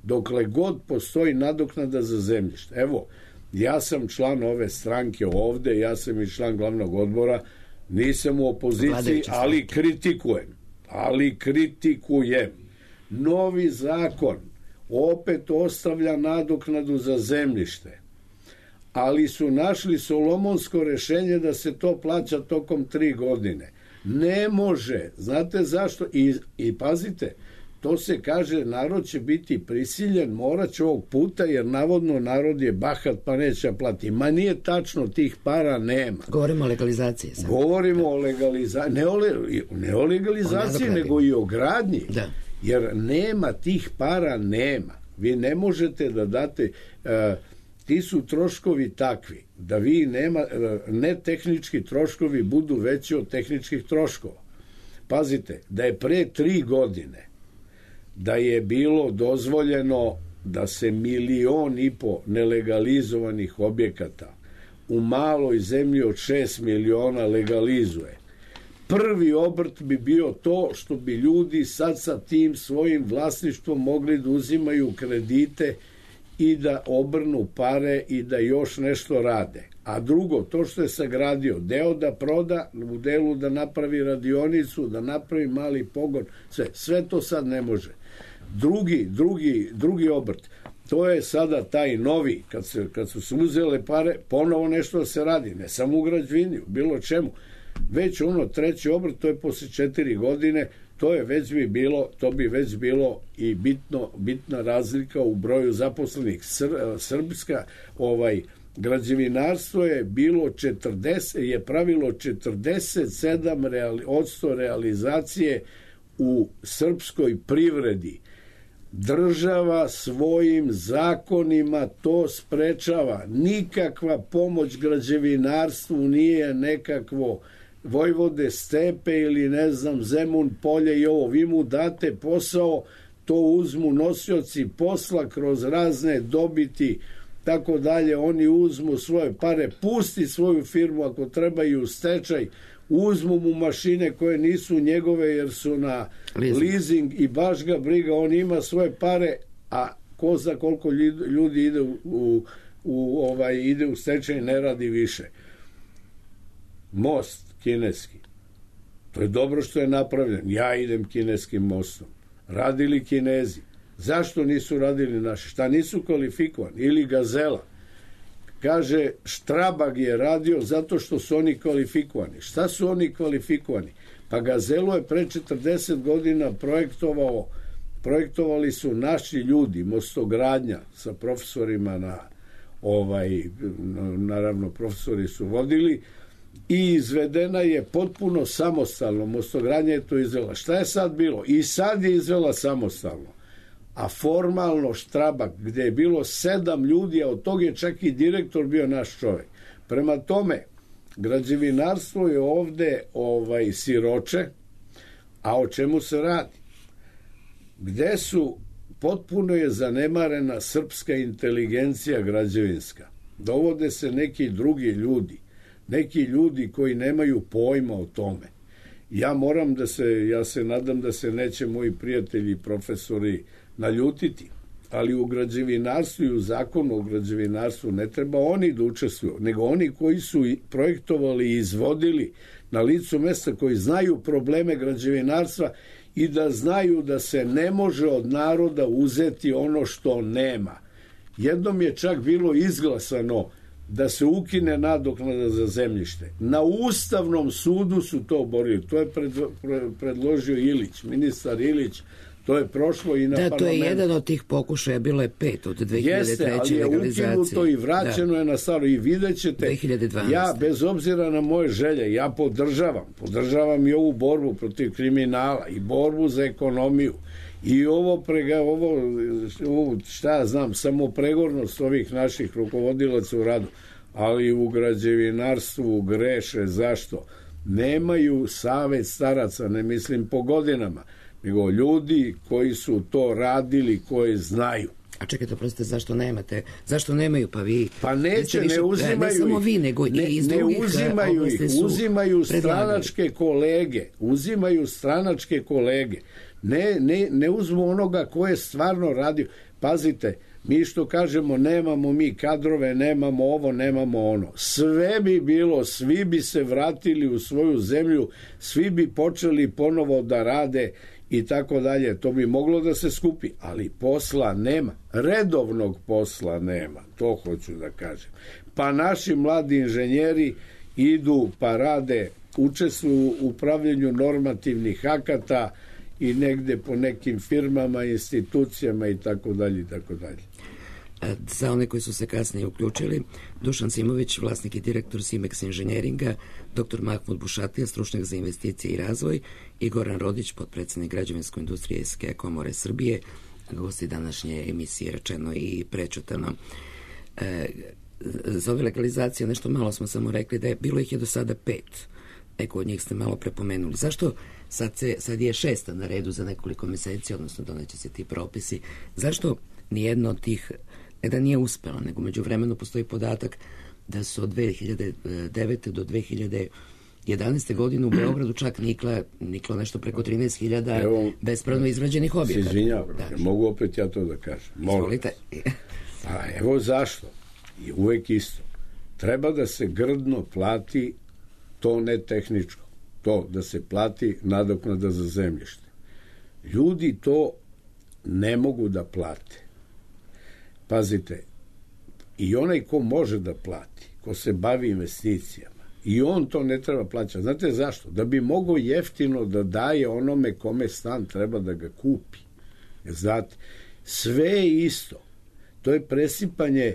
Dokle god postoji nadoknada za zemljište. Evo, ja sam član ove stranke ovde, ja sam i član glavnog odbora, nisam u opoziciji, ali kritikujem. Ali kritikujem. Novi zakon opet ostavlja nadoknadu za zemljište, ali su našli solomonsko rešenje da se to plaća tokom tri godine. Ne može. Znate zašto? I, i pazite, to se kaže, narod će biti prisiljen, morat će ovog puta, jer navodno narod je bahat pa neće plati. Ma nije tačno, tih para nema. Govorimo o legalizaciji. Sam. Govorimo o legalizaciji, ne o, le, ne o legalizaciji, o nego i o gradnji. Da. Jer nema tih para, nema. Vi ne možete da date, uh, ti su troškovi takvi, da vi nema, uh, ne tehnički troškovi budu veći od tehničkih troškova. Pazite, da je pre tri godine da je bilo dozvoljeno da se milion i po nelegalizovanih objekata u maloj zemlji od šest miliona legalizuje. Prvi obrt bi bio to što bi ljudi sad sa tim svojim vlasništvom mogli da uzimaju kredite i da obrnu pare i da još nešto rade. A drugo, to što je sagradio, deo da proda, u delu da napravi radionicu, da napravi mali pogon, sve, sve to sad ne može. Drugi, drugi, drugi obrt, to je sada taj novi, kad, se, kad su se uzele pare, ponovo nešto da se radi, ne samo u građevini, bilo čemu. Već ono treći obrt, to je posle četiri godine, to je već bi bilo, to bi već bilo i bitno, bitna razlika u broju zaposlenih. Sr, srpska, ovaj, građevinarstvo je bilo četrdeset, je pravilo četrdeset sedam odsto realizacije u srpskoj privredi. Država svojim zakonima to sprečava. Nikakva pomoć građevinarstvu nije nekakvo Vojvode Stepe ili ne znam Zemun polje i ovo. Vi mu date posao, to uzmu nosioci posla kroz razne dobiti, tako dalje. Oni uzmu svoje pare, pusti svoju firmu ako treba i u stečaj, uzmu mu mašine koje nisu njegove jer su na leasing, leasing i baš ga briga, on ima svoje pare, a ko za koliko ljudi ide u, u, u ovaj ide u stečaj, ne radi više. Most kineski, to je dobro što je napravljen, ja idem kineskim mostom. Radili Kinezi, zašto nisu radili naši? Šta nisu kvalifikovani? Ili Gazela, kaže Štrabag je radio zato što su oni kvalifikovani. Šta su oni kvalifikovani? Pa Gazelu je pre četrdeset godina projektovao, projektovali su naši ljudi, Mostogradnja sa profesorima na ovaj, naravno profesori su vodili i izvedena je potpuno samostalno. Mostogradnja je to izvela. Šta je sad bilo? I sad je izvela samostalno. A formalno Štrabag, gde je bilo sedam ljudi, a od toga je čak i direktor bio naš čovjek. Prema tome, građevinarstvo je ovde ovaj, siroče, a o čemu se radi? Gde su, potpuno je zanemarena srpska inteligencija građevinska. Dovode se neki drugi ljudi, neki ljudi koji nemaju pojma o tome. Ja moram da se, ja se nadam da se neće moji prijatelji i profesori naljutiti, ali u građevinarstvu i u zakonu o građevinarstvu ne treba oni da učestvuju, nego oni koji su projektovali i izvodili na licu mesta, koji znaju probleme građevinarstva i da znaju da se ne može od naroda uzeti ono što nema. Jednom je čak bilo izglasano da se ukine nadoknada za zemljište. Na Ustavnom sudu su to borili. To je predložio Ilić, ministar Ilić. To je prošlo i na parlamentu. Da, to je parlamentu. jedan od tih pokušaja, bilo je pet od dve hiljade treće Jeste, ali je ukinuto i vraćeno da. je na staro. I vidjet ćete, dve hiljade dvanaeste. Ja, bez obzira na moje želje, ja podržavam. Podržavam i ovu borbu protiv kriminala i borbu za ekonomiju. I ovo, prega, ovo, ovo šta ja znam, samo pregornost ovih naših rukovodilaca u radu. Ali u građevinarstvu greše. Zašto? Nemaju savet staraca, ne mislim po godinama, nego ljudi koji su to radili, koji znaju. A čekajte, prostite, zašto nemate? Zašto nemaju? Pa vi... Pa neće, više, ne uzimaju ne samo vi, nego ne, i iz ne drugih uzimaju ih, uzimaju stranačke kolege, uzimaju stranačke kolege. Ne, ne, ne uzmu onoga ko je stvarno radio. Pazite, mi što kažemo, nemamo mi kadrove, nemamo ovo, nemamo ono. Sve bi bilo, svi bi se vratili u svoju zemlju, svi bi počeli ponovo da rade i tako dalje. To bi moglo da se skupi, ali posla nema. Redovnog posla nema, to hoću da kažem. Pa naši mladi inženjeri idu pa rade, učestvuju u upravljanju normativnih akata i negde po nekim firmama, institucijama i tako dalje i tako dalje. Za one koji su se kasnije uključili, Dušan Simović, vlasnik i direktor Simex inženjeringa, doktor Mahmud Bušatija, stručnjak za investicije i razvoj, i Goran Rodić, potpredsednik građevinsko-industrijske komore Srbije, gosti današnje emisije Rečeno i prečutano. E, za ove legalizacije nešto malo smo samo rekli da je bilo ih je do sada pet. Eko od njih ste malo prepomenuli. Zašto sad, se, sad je šesta na redu za nekoliko meseci, odnosno doneće se ti propisi? Zašto nijedno od tih, ne da nije uspelo, nego među vremenu postoji podatak da su od dve hiljade devete do dve hiljade jedanaeste godine u Beogradu čak nikla, niklo nešto preko trinaest hiljada bespravno izgrađenih objekata. Se izvinjavam, da. Mogu opet ja to da kažem. Izvolite. Pa evo zašto. I uvek isto. Treba da se grdno plati to ne tehničko. To da se plati nadoknada za zemljište. Ljudi to ne mogu da plate. Pazite, i onaj ko može da plati, ko se bavi investicijama, i on to ne treba plaćati. Znate zašto? Da bi mogao jeftino da daje onome kome stan treba da ga kupi. Znate, sve je isto. To je presipanje.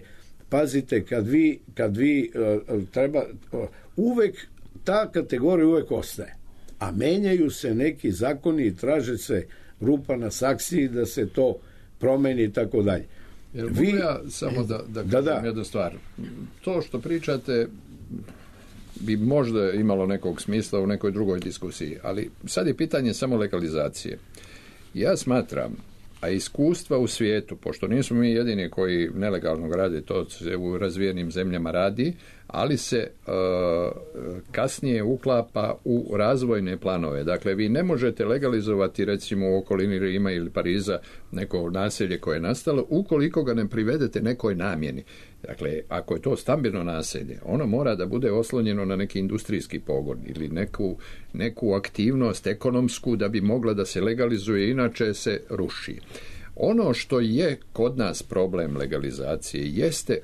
Pazite, kad vi, kad vi uh, treba, uh, uvek ta kategorija uvek ostaje. A menjaju se neki zakoni i traže se rupa na saksiji da se to promeni i tako dalje. Jer vi, mogu ja samo da, da kažem da, da. jednu stvar. To što pričate bi možda imalo nekog smisla u nekoj drugoj diskusiji, ali sad je pitanje samo legalizacije. Ja smatram, a iskustva u svijetu, pošto nismo mi jedini koji nelegalno rade, to se u razvijenim zemljama radi, ali se uh, kasnije uklapa u razvojne planove. Dakle, vi ne možete legalizovati recimo u okolini Rima ili Pariza neko naselje koje je nastalo ukoliko ga ne privedete nekoj namjeni. Dakle, ako je to stambeno naselje, ono mora da bude oslonjeno na neki industrijski pogon ili neku, neku aktivnost ekonomsku da bi mogla da se legalizuje, inače se ruši. Ono što je kod nas problem legalizacije jeste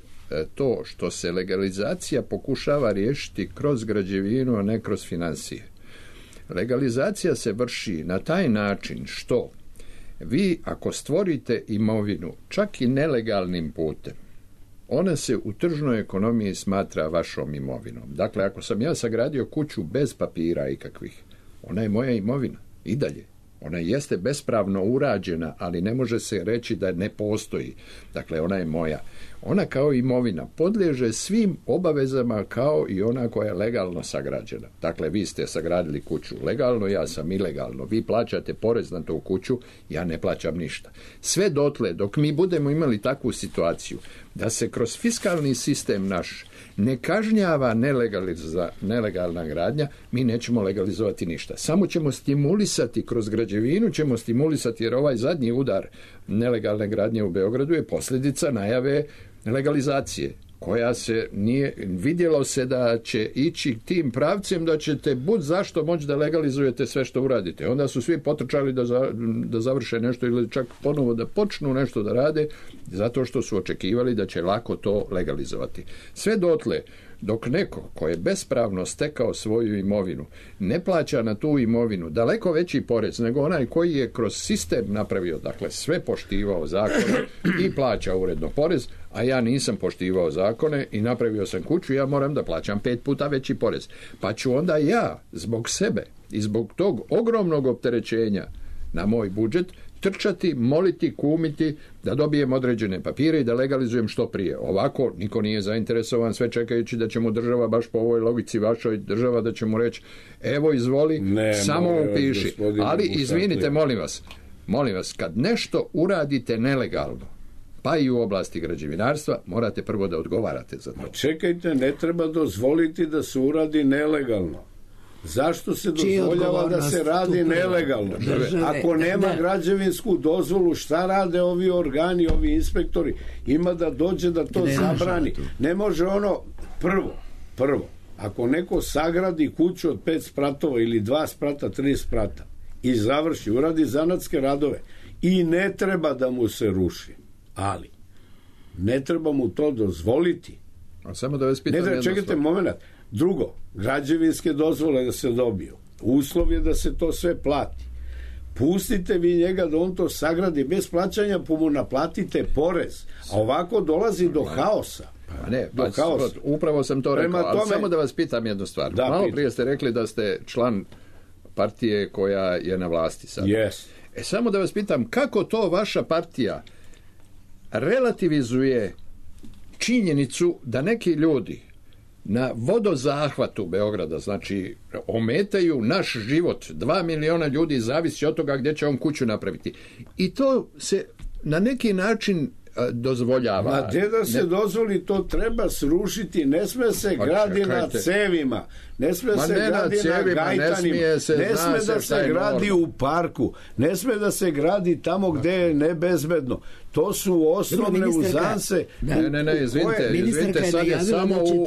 to što se legalizacija pokušava riješiti kroz građevinu, a ne kroz financije. Legalizacija se vrši na taj način što vi ako stvorite imovinu čak i nelegalnim putem, ona se u tržnoj ekonomiji smatra vašom imovinom. Dakle, ako sam ja sagradio kuću bez papira ikakvih, ona je moja imovina i dalje. Ona jeste bespravno urađena, ali ne može se reći da ne postoji. Dakle, ona je moja. Ona kao imovina podliježe svim obavezama kao i ona koja je legalno sagrađena. Dakle, vi ste sagradili kuću legalno, ja sam ilegalno. Vi plaćate porez na tu kuću, ja ne plaćam ništa. Sve dotle, dok mi budemo imali takvu situaciju da se kroz fiskalni sistem naš ne kažnjava nelegalna gradnja, mi nećemo legalizovati ništa. Samo ćemo stimulisati, kroz građevinu ćemo stimulisati, jer ovaj zadnji udar nelegalne gradnje u Beogradu je posljedica najave legalizacije, koja se nije, vidjelo se da će ići tim pravcem da ćete bud zašto moći da legalizujete sve što uradite. Onda su svi potrčali da, za, da završe nešto ili čak ponovo da počnu nešto da rade, zato što su očekivali da će lako to legalizovati. Sve dotle, dok neko ko je bespravno stekao svoju imovinu ne plaća na tu imovinu daleko veći porez nego onaj koji je kroz sistem napravio, dakle sve poštivao zakone i plaća uredno porez, a ja nisam poštivao zakone i napravio sam kuću, ja moram da plaćam pet puta veći porez. Pa ću onda ja zbog sebe i zbog tog ogromnog opterećenja na moj budžet trčati, moliti, kumiti da dobijem određene papire i da legalizujem što prije. Ovako niko nije zainteresovan, sve čekajući da će mu država, baš po ovoj logici vašoj država, da će mu reći evo izvoli, ne, samo upiši. Ali izvinite, molim vas, molim vas, kad nešto uradite nelegalno, pa i u oblasti građevinarstva, morate prvo da odgovarate za to. Ma čekajte, ne treba dozvoliti da se uradi nelegalno. Zašto se dozvoljava da se radi nelegalno? Ako nema građevinsku dozvolu, šta rade ovi organi, ovi inspektori? Ima da dođe da to zabrani. Ne može ono, prvo, prvo, ako neko sagradi kuću od pet spratova ili dva sprata, tri sprata i završi, uradi zanatske radove i ne treba da mu se ruši, ali ne treba mu to dozvoliti. A samo da vas pitam jedno. Ne, čekajte moment. Drugo, građevinske dozvole da se dobiju. Uslov je da se to sve plati. Pustite vi njega da on to sagradi bez plaćanja, pa mu naplatite porez. A ovako dolazi do haosa. Pa ne, pa, upravo sam to rekao, ali tome, samo da vas pitam jednu stvar. Da, Malo prije ste rekli da ste član partije koja je na vlasti sad. Yes. E, samo da vas pitam, kako to vaša partija relativizuje činjenicu da neki ljudi na vodozahvatu Beograda, znači ometaju naš život, dva miliona ljudi zavisi od toga gdje će on kuću napraviti. I to se na neki način dozvoljava. Ma gdje da se ne... dozvoli, to treba srušiti, ne sme se pa, gradi čekajte. na cevima, ne sme Ma se ne gradi na, cevima, na gajtanima, ne smije, ne sme da se, se gradi norma. u parku, ne sme da se gradi tamo gdje je nebezbedno. To su osnovne uzanse. Da. Ne, ne, ne, izvinite, izvinite, sad je samo u,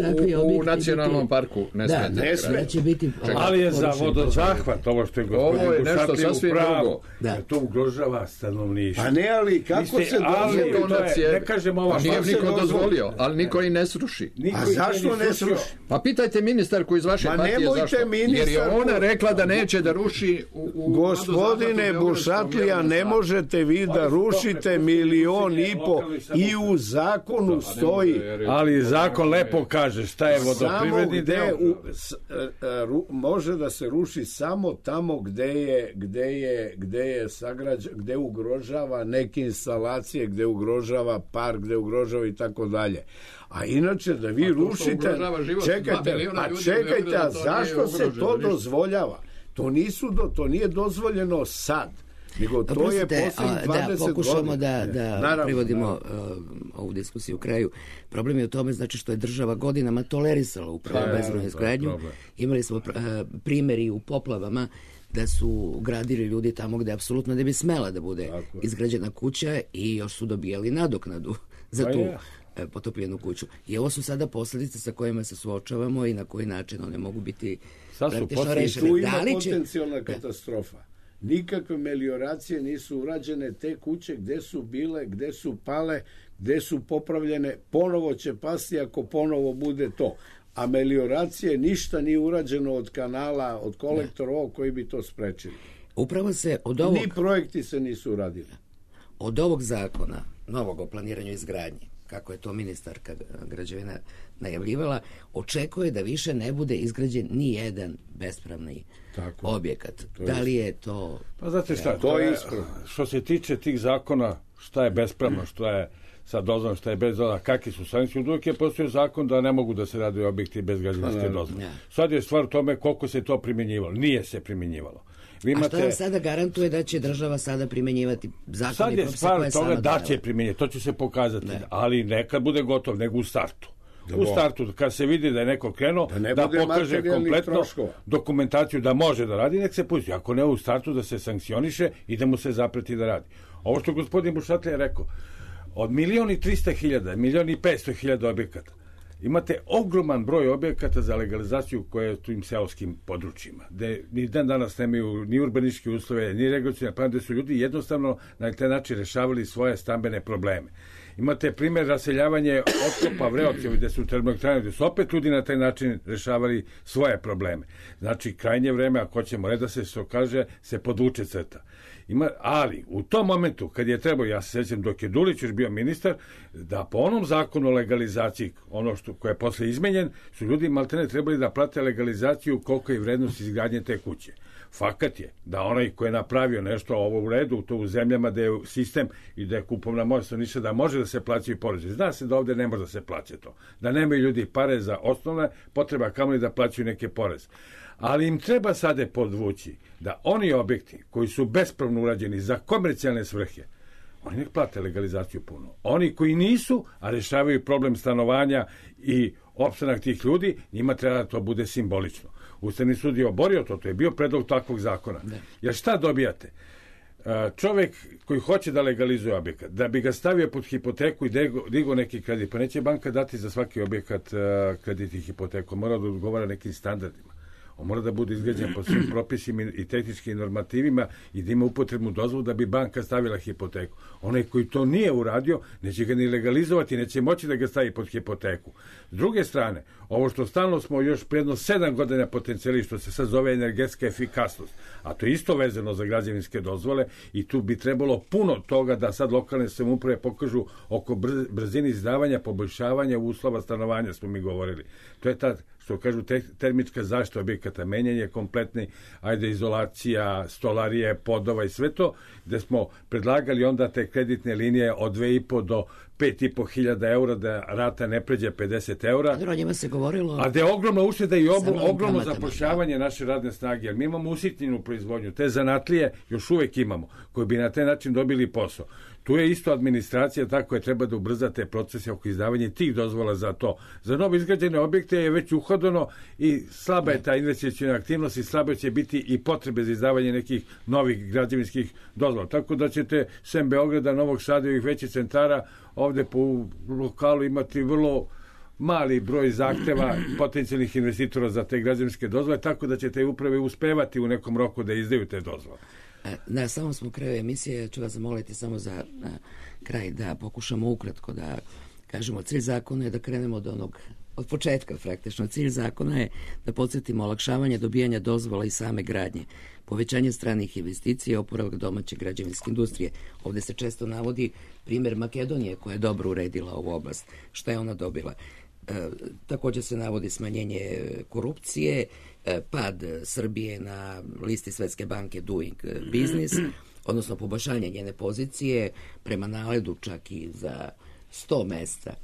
u, u nacionalnom biti... parku. Ne da, smete. Ne sme. Biti... Ali je za vodozahvat, ovo što je gospodin Bušatlija u pravu. Da. To ugrožava stanovništvo. Pa ne, ali kako se dozvolio? Ne kažem ovo. Pa nije niko dozvolio, ali niko i ne sruši. A zašto ne sruši? Pa pitajte ministarku iz vaše partije zašto. Jer je ona rekla da neće da ruši u... Gospodine Bušatlija, ne možete vi da rušite milion i po i u zakonu stoji. Ali zakon lepo kaže šta je vodoprivredni deo. U, s, ru, može da se ruši samo tamo gde je, gde je, gde je sagrađa, gde ugrožava neke instalacije, gde ugrožava park, gde ugrožava i tako dalje. A inače da vi rušite, čekajte, a čekajte, a zašto se to dozvoljava? To nisu do, to nije dozvoljeno sad. Nego to Oprostite, je posljednjih dvadeset da pokušamo godina. da, da naravno, privodimo naravno. Uh, ovu diskusiju u kraju. Problem je u tome znači što je država godinama tolerisala upravo ja, bezbrojnu izgradnju. Imali smo uh, primjeri u poplavama da su gradili ljudi tamo gde apsolutno ne bi smela da bude Tako. izgrađena kuća i još su dobijali nadoknadu za pa tu ja. potopljenu kuću. I ovo su sada posljedice sa kojima se suočavamo i na koji način one mogu biti praktično rešene. Tu ima potencijalna katastrofa. Nikakve melioracije nisu urađene, te kuće gde su bile, gde su pale, gde su popravljene, ponovo će pasti ako ponovo bude to. A melioracije ništa nije urađeno od kanala, od kolektora ovog koji bi to sprečili. Upravo se od ovog... Ni projekti se nisu uradili. Od ovog zakona, novog o planiranju izgradnje, kako je to ministarka građevina najavljivala, očekuje da više ne bude izgrađen ni jedan bespravni Tako. objekat. Da li je to... Pa znate šta, to je ispravno. Što se tiče tih zakona, šta je bespravno, što je sa dozvolom, šta je bez dozvola, kakvi su sankcije, uvijek je postojao zakon da ne mogu da se rade objekti bez građevinske dozvole. Ja. Sad je stvar u tome koliko se to primjenjivalo. Nije se primjenjivalo. Vi imate... A što vam sada garantuje da će država sada primjenjivati zakon sad i propise koje je stvar toga sama da donela? će primjenjivati, to će se pokazati, ne. ali nekad bude gotov, nego u startu. Da u startu, kad se vidi da je neko krenuo, da, da pokaže kompletno troškova. dokumentaciju da može da radi, nek se pusti. Ako ne u startu, da se sankcioniše i da mu se zapreti da radi. Ovo što gospodin Bušatlja je rekao, od milion i trista hiljada, milion i petsto hiljada objekata, imate ogroman broj objekata za legalizaciju koje je u tim seoskim područjima, gde ni dan danas nemaju ni urbanističke uslove, ni regulacione plane, gde su ljudi jednostavno na taj način rešavali svoje stambene probleme. Imate primjer raseljavanje otkopa Vreocevi, gde su termoelektrane, gde su opet ljudi na taj način rešavali svoje probleme. Znači, krajnje vreme, ako ćemo red da se što kaže, se podvuče crta. Ima, ali u tom momentu kad je trebao, ja se sjećam dok je Dulić još bio ministar, da po onom zakonu o legalizaciji, ono što koje je posle izmenjen, su ljudi maltene trebali da plate legalizaciju koliko je vrednost izgradnje te kuće. Fakat je da onaj ko je napravio nešto ovo u redu, to u zemljama da je sistem i da je kupovna moć stanovništva da može da se plaćaju porezi. Zna se da ovde ne može da se plaća to. Da nemaju ljudi pare za osnovne potreba, kamoli da plaćaju neke poreze. Ali im treba sada podvući da oni objekti koji su bespravno urađeni za komercijalne svrhe, oni nek plate legalizaciju puno. Oni koji nisu, a rešavaju problem stanovanja i opstanak tih ljudi, njima treba da to bude simbolično. Ustavni sud je oborio to, to je bio predlog takvog zakona. Ne. Jer šta dobijate? Čovek koji hoće da legalizuje objekat, da bi ga stavio pod hipoteku i digao neki kredit, pa neće banka dati za svaki objekat kredit i hipoteku, mora da odgovara nekim standardima. On mora da bude izgrađen po svim propisima i tehničkim normativima i da ima upotrebnu dozvolu da bi banka stavila hipoteku. Onaj koji to nije uradio, neće ga ni legalizovati, neće moći da ga stavi pod hipoteku. S druge strane, ovo što stalno smo još predno sedam godina potencijali, što se sad zove energetska efikasnost, a to je isto vezano za građevinske dozvole i tu bi trebalo puno toga da sad lokalne samouprave pokažu oko brzine izdavanja, poboljšavanja uslova stanovanja, smo mi govorili. To je ta, što kažu, te, termička zaštita objekata, menjanje kompletni, ajde, izolacija, stolarije, podova i sve to, gde smo predlagali onda te kreditne linije od dve i po do pet i po hiljada eura, da rata ne pređe pedeset eura. A njima se govorilo... A da je ogromna ušteda i ob, ogromno zapošljavanje naše radne snage, jer mi imamo usitnjenu proizvodnju, te zanatlije još uvek imamo, koji bi na taj način dobili posao. Tu je isto administracija, tako je, treba da ubrza te procese oko izdavanja tih dozvola za to. Za novo izgrađene objekte je već uhodano i slaba je ta investiciona aktivnost i slabo će biti i potrebe za izdavanje nekih novih građevinskih dozvola. Tako da ćete sem Beograda, Novog Sada i ovih većih centara ovde po lokalu imati vrlo mali broj zahteva potencijalnih investitora za te građevinske dozvole, tako da će te uprave uspevati u nekom roku da izdaju te dozvole. Na samom smo kraju emisije, ću vas zamoliti samo za na, kraj da pokušamo ukratko da kažemo, cilj zakona je da krenemo od onog, od početka praktično. Cilj zakona je da podsjetimo olakšavanje dobijanja dozvola i same gradnje, povećanje stranih investicija i oporavak domaće građevinske industrije. Ovde se često navodi primjer Makedonije koja je dobro uredila ovu oblast. Šta je ona dobila? E, također se navodi smanjenje korupcije, e, pad Srbije na listi Svetske banke Doing Business, odnosno poboljšanje njene pozicije prema naledu čak i za sto mesta.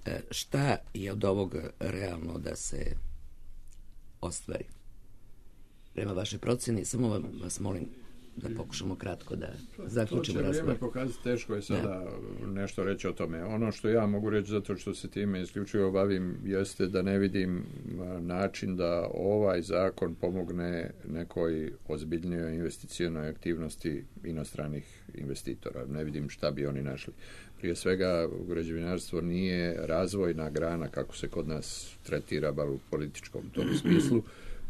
E, šta je od ovog realno da se ostvari? Prema vašoj procjeni, samo vam, vas molim da pokušamo kratko da zaključimo razgovor. To će vrijeme pokazati, teško je sada da. nešto reći o tome. Ono što ja mogu reći, zato što se time isključivo bavim, jeste da ne vidim način da ovaj zakon pomogne nekoj ozbiljnijoj investicionoj aktivnosti inostranih investitora. Ne vidim šta bi oni našli. Prije svega, građevinarstvo nije razvojna grana kako se kod nas tretira, bar u političkom tom smislu.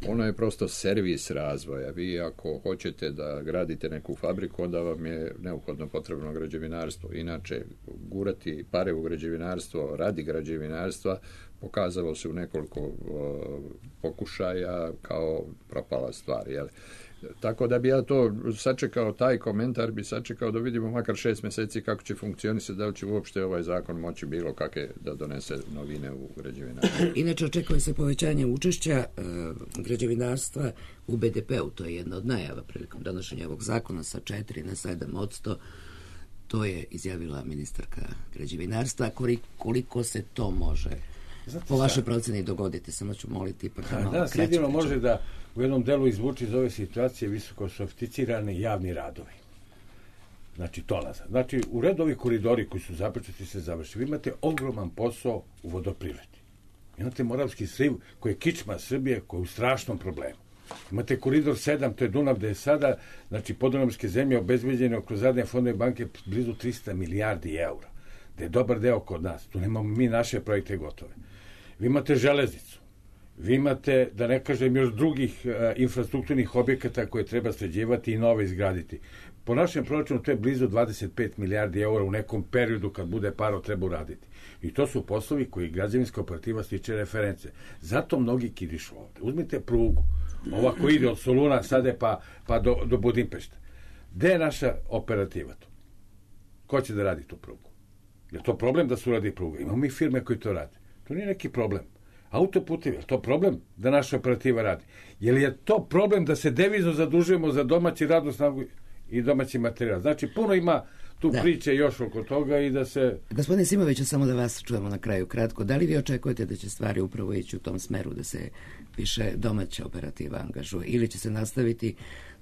Ono je prosto servis razvoja. Vi ako hoćete da gradite neku fabriku, onda vam je neophodno potrebno građevinarstvo. Inače, gurati pare u građevinarstvo radi građevinarstva pokazalo se u nekoliko uh, pokušaja kao propala stvar. Jel? Tako da bi ja to sačekao, taj komentar bi sačekao da vidimo makar šest mjeseci kako će funkcionisati, da li će uopšte ovaj zakon moći bilo kakve da donese novine u građevinarstvu. Inače, očekuje se povećanje učešća e, građevinarstva u be de pe u. To je jedna od najava prilikom donošenja ovog zakona sa četiri na sedam odsto. To je izjavila ministarka građevinarstva. Koliko se to može Znate po vašoj proceni dogoditi? Samo ću moliti ipak da malo danas kraće. Jedino može da u jednom delu izvuči iz ove situacije visoko sofisticirane javni radovi. Znači, to nazad. Znači, u redu ovi koridori koji su započeti se završi. Vi imate ogroman posao u vodoprivredi. Imate Moravski sliv koji je kičma Srbije, koji je u strašnom problemu. Imate koridor sedam, to je Dunav, gde je sada, znači, podunavske zemlje obezbeđene kroz zadnje fondove banke blizu trista milijardi eura. Da je dobar deo kod nas. Tu nemamo mi naše projekte gotove. Vi imate železnicu. Vi imate, da ne kažem, još drugih e, infrastrukturnih objekata koje treba sređivati i nove izgraditi. Po našem proračunu to je blizu dvadeset pet milijardi eura u nekom periodu kad bude paro treba uraditi. I to su poslovi koji građevinska operativa stiče reference. Zato mnogi kidišu ovde. Uzmite prugu. Ova koja ide od Soluna sada pa, pa do, do Budimpešta. Gde je naša operativa tu? Ko će da radi tu prugu? Je to problem da se uradi pruga? Imamo mi firme koji to rade. To nije neki problem. Autoputevi, je to problem da naša operativa radi? Je li je to problem da se devizno zadužujemo za domaći radnu snagu i domaći materijal? Znači, puno ima tu da. priče još oko toga i da se... Gospodine Simoviću, samo da vas čujemo na kraju kratko. Da li vi očekujete da će stvari upravo ići u tom smeru da se više domaća operativa angažuje ili će se nastaviti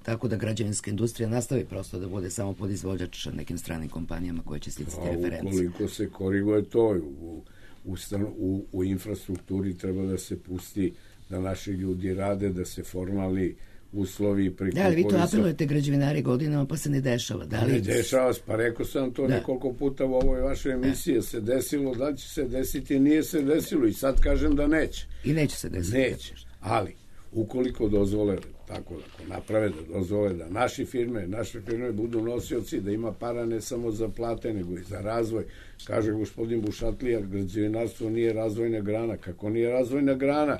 tako da građevinska industrija nastavi prosto da bude samo podizvođač nekim stranim kompanijama koje će sticati referencije? Ukoliko se koriguje to u, u, u, u infrastrukturi treba da se pusti da naši ljudi rade, da se formalni uslovi preko... Da, ali vi to apelujete građevinari godinama pa se ne dešava. Da li... Ne dešava se, pa rekao sam to da. nekoliko puta u ovoj vašoj emisiji, da. se desilo, da će se desiti, nije se desilo i sad kažem da neće. I neće se desiti. Neće, ali ukoliko dozvole, tako da naprave da dozvole da naši firme, naše firme budu nosioci, da ima para ne samo za plate, nego i za razvoj. Kaže gospodin Bušatlija, građevinarstvo nije razvojna grana. Kako nije razvojna grana?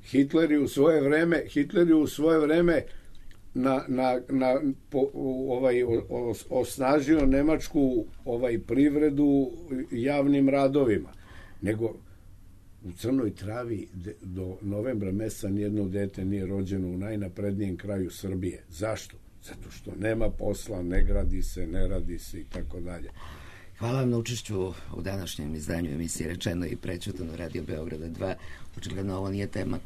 Hitler je u svoje vreme, Hitler je u svoje vreme na, na, na po, ovaj os, osnažio nemačku ovaj privredu javnim radovima. Nego u Crnoj Travi de, do novembra meseca nijedno dete nije rođeno u najnaprednijem kraju Srbije. Zašto? Zato što nema posla, ne gradi se, ne radi se i tako dalje. Hvala vam na učešću u današnjem izdanju emisije Rečeno i prećutano Radio Beograda dva. Očigledno ovo nije tema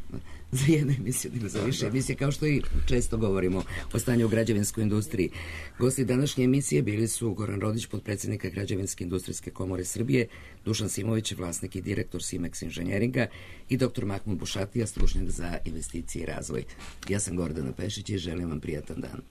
za jednu emisiju, nego za više emisije, kao što i često govorimo o stanju u građevinskoj industriji. Gosti današnje emisije bili su Goran Rodić, potpredsjednika Građevinske industrijske komore Srbije, Dušan Simović, vlasnik i direktor Simex inženjeringa i doktor Mahmud Bušatija, stručnjak za investicije i razvoj. Ja sam Gordana Pešić i želim vam prijatan dan.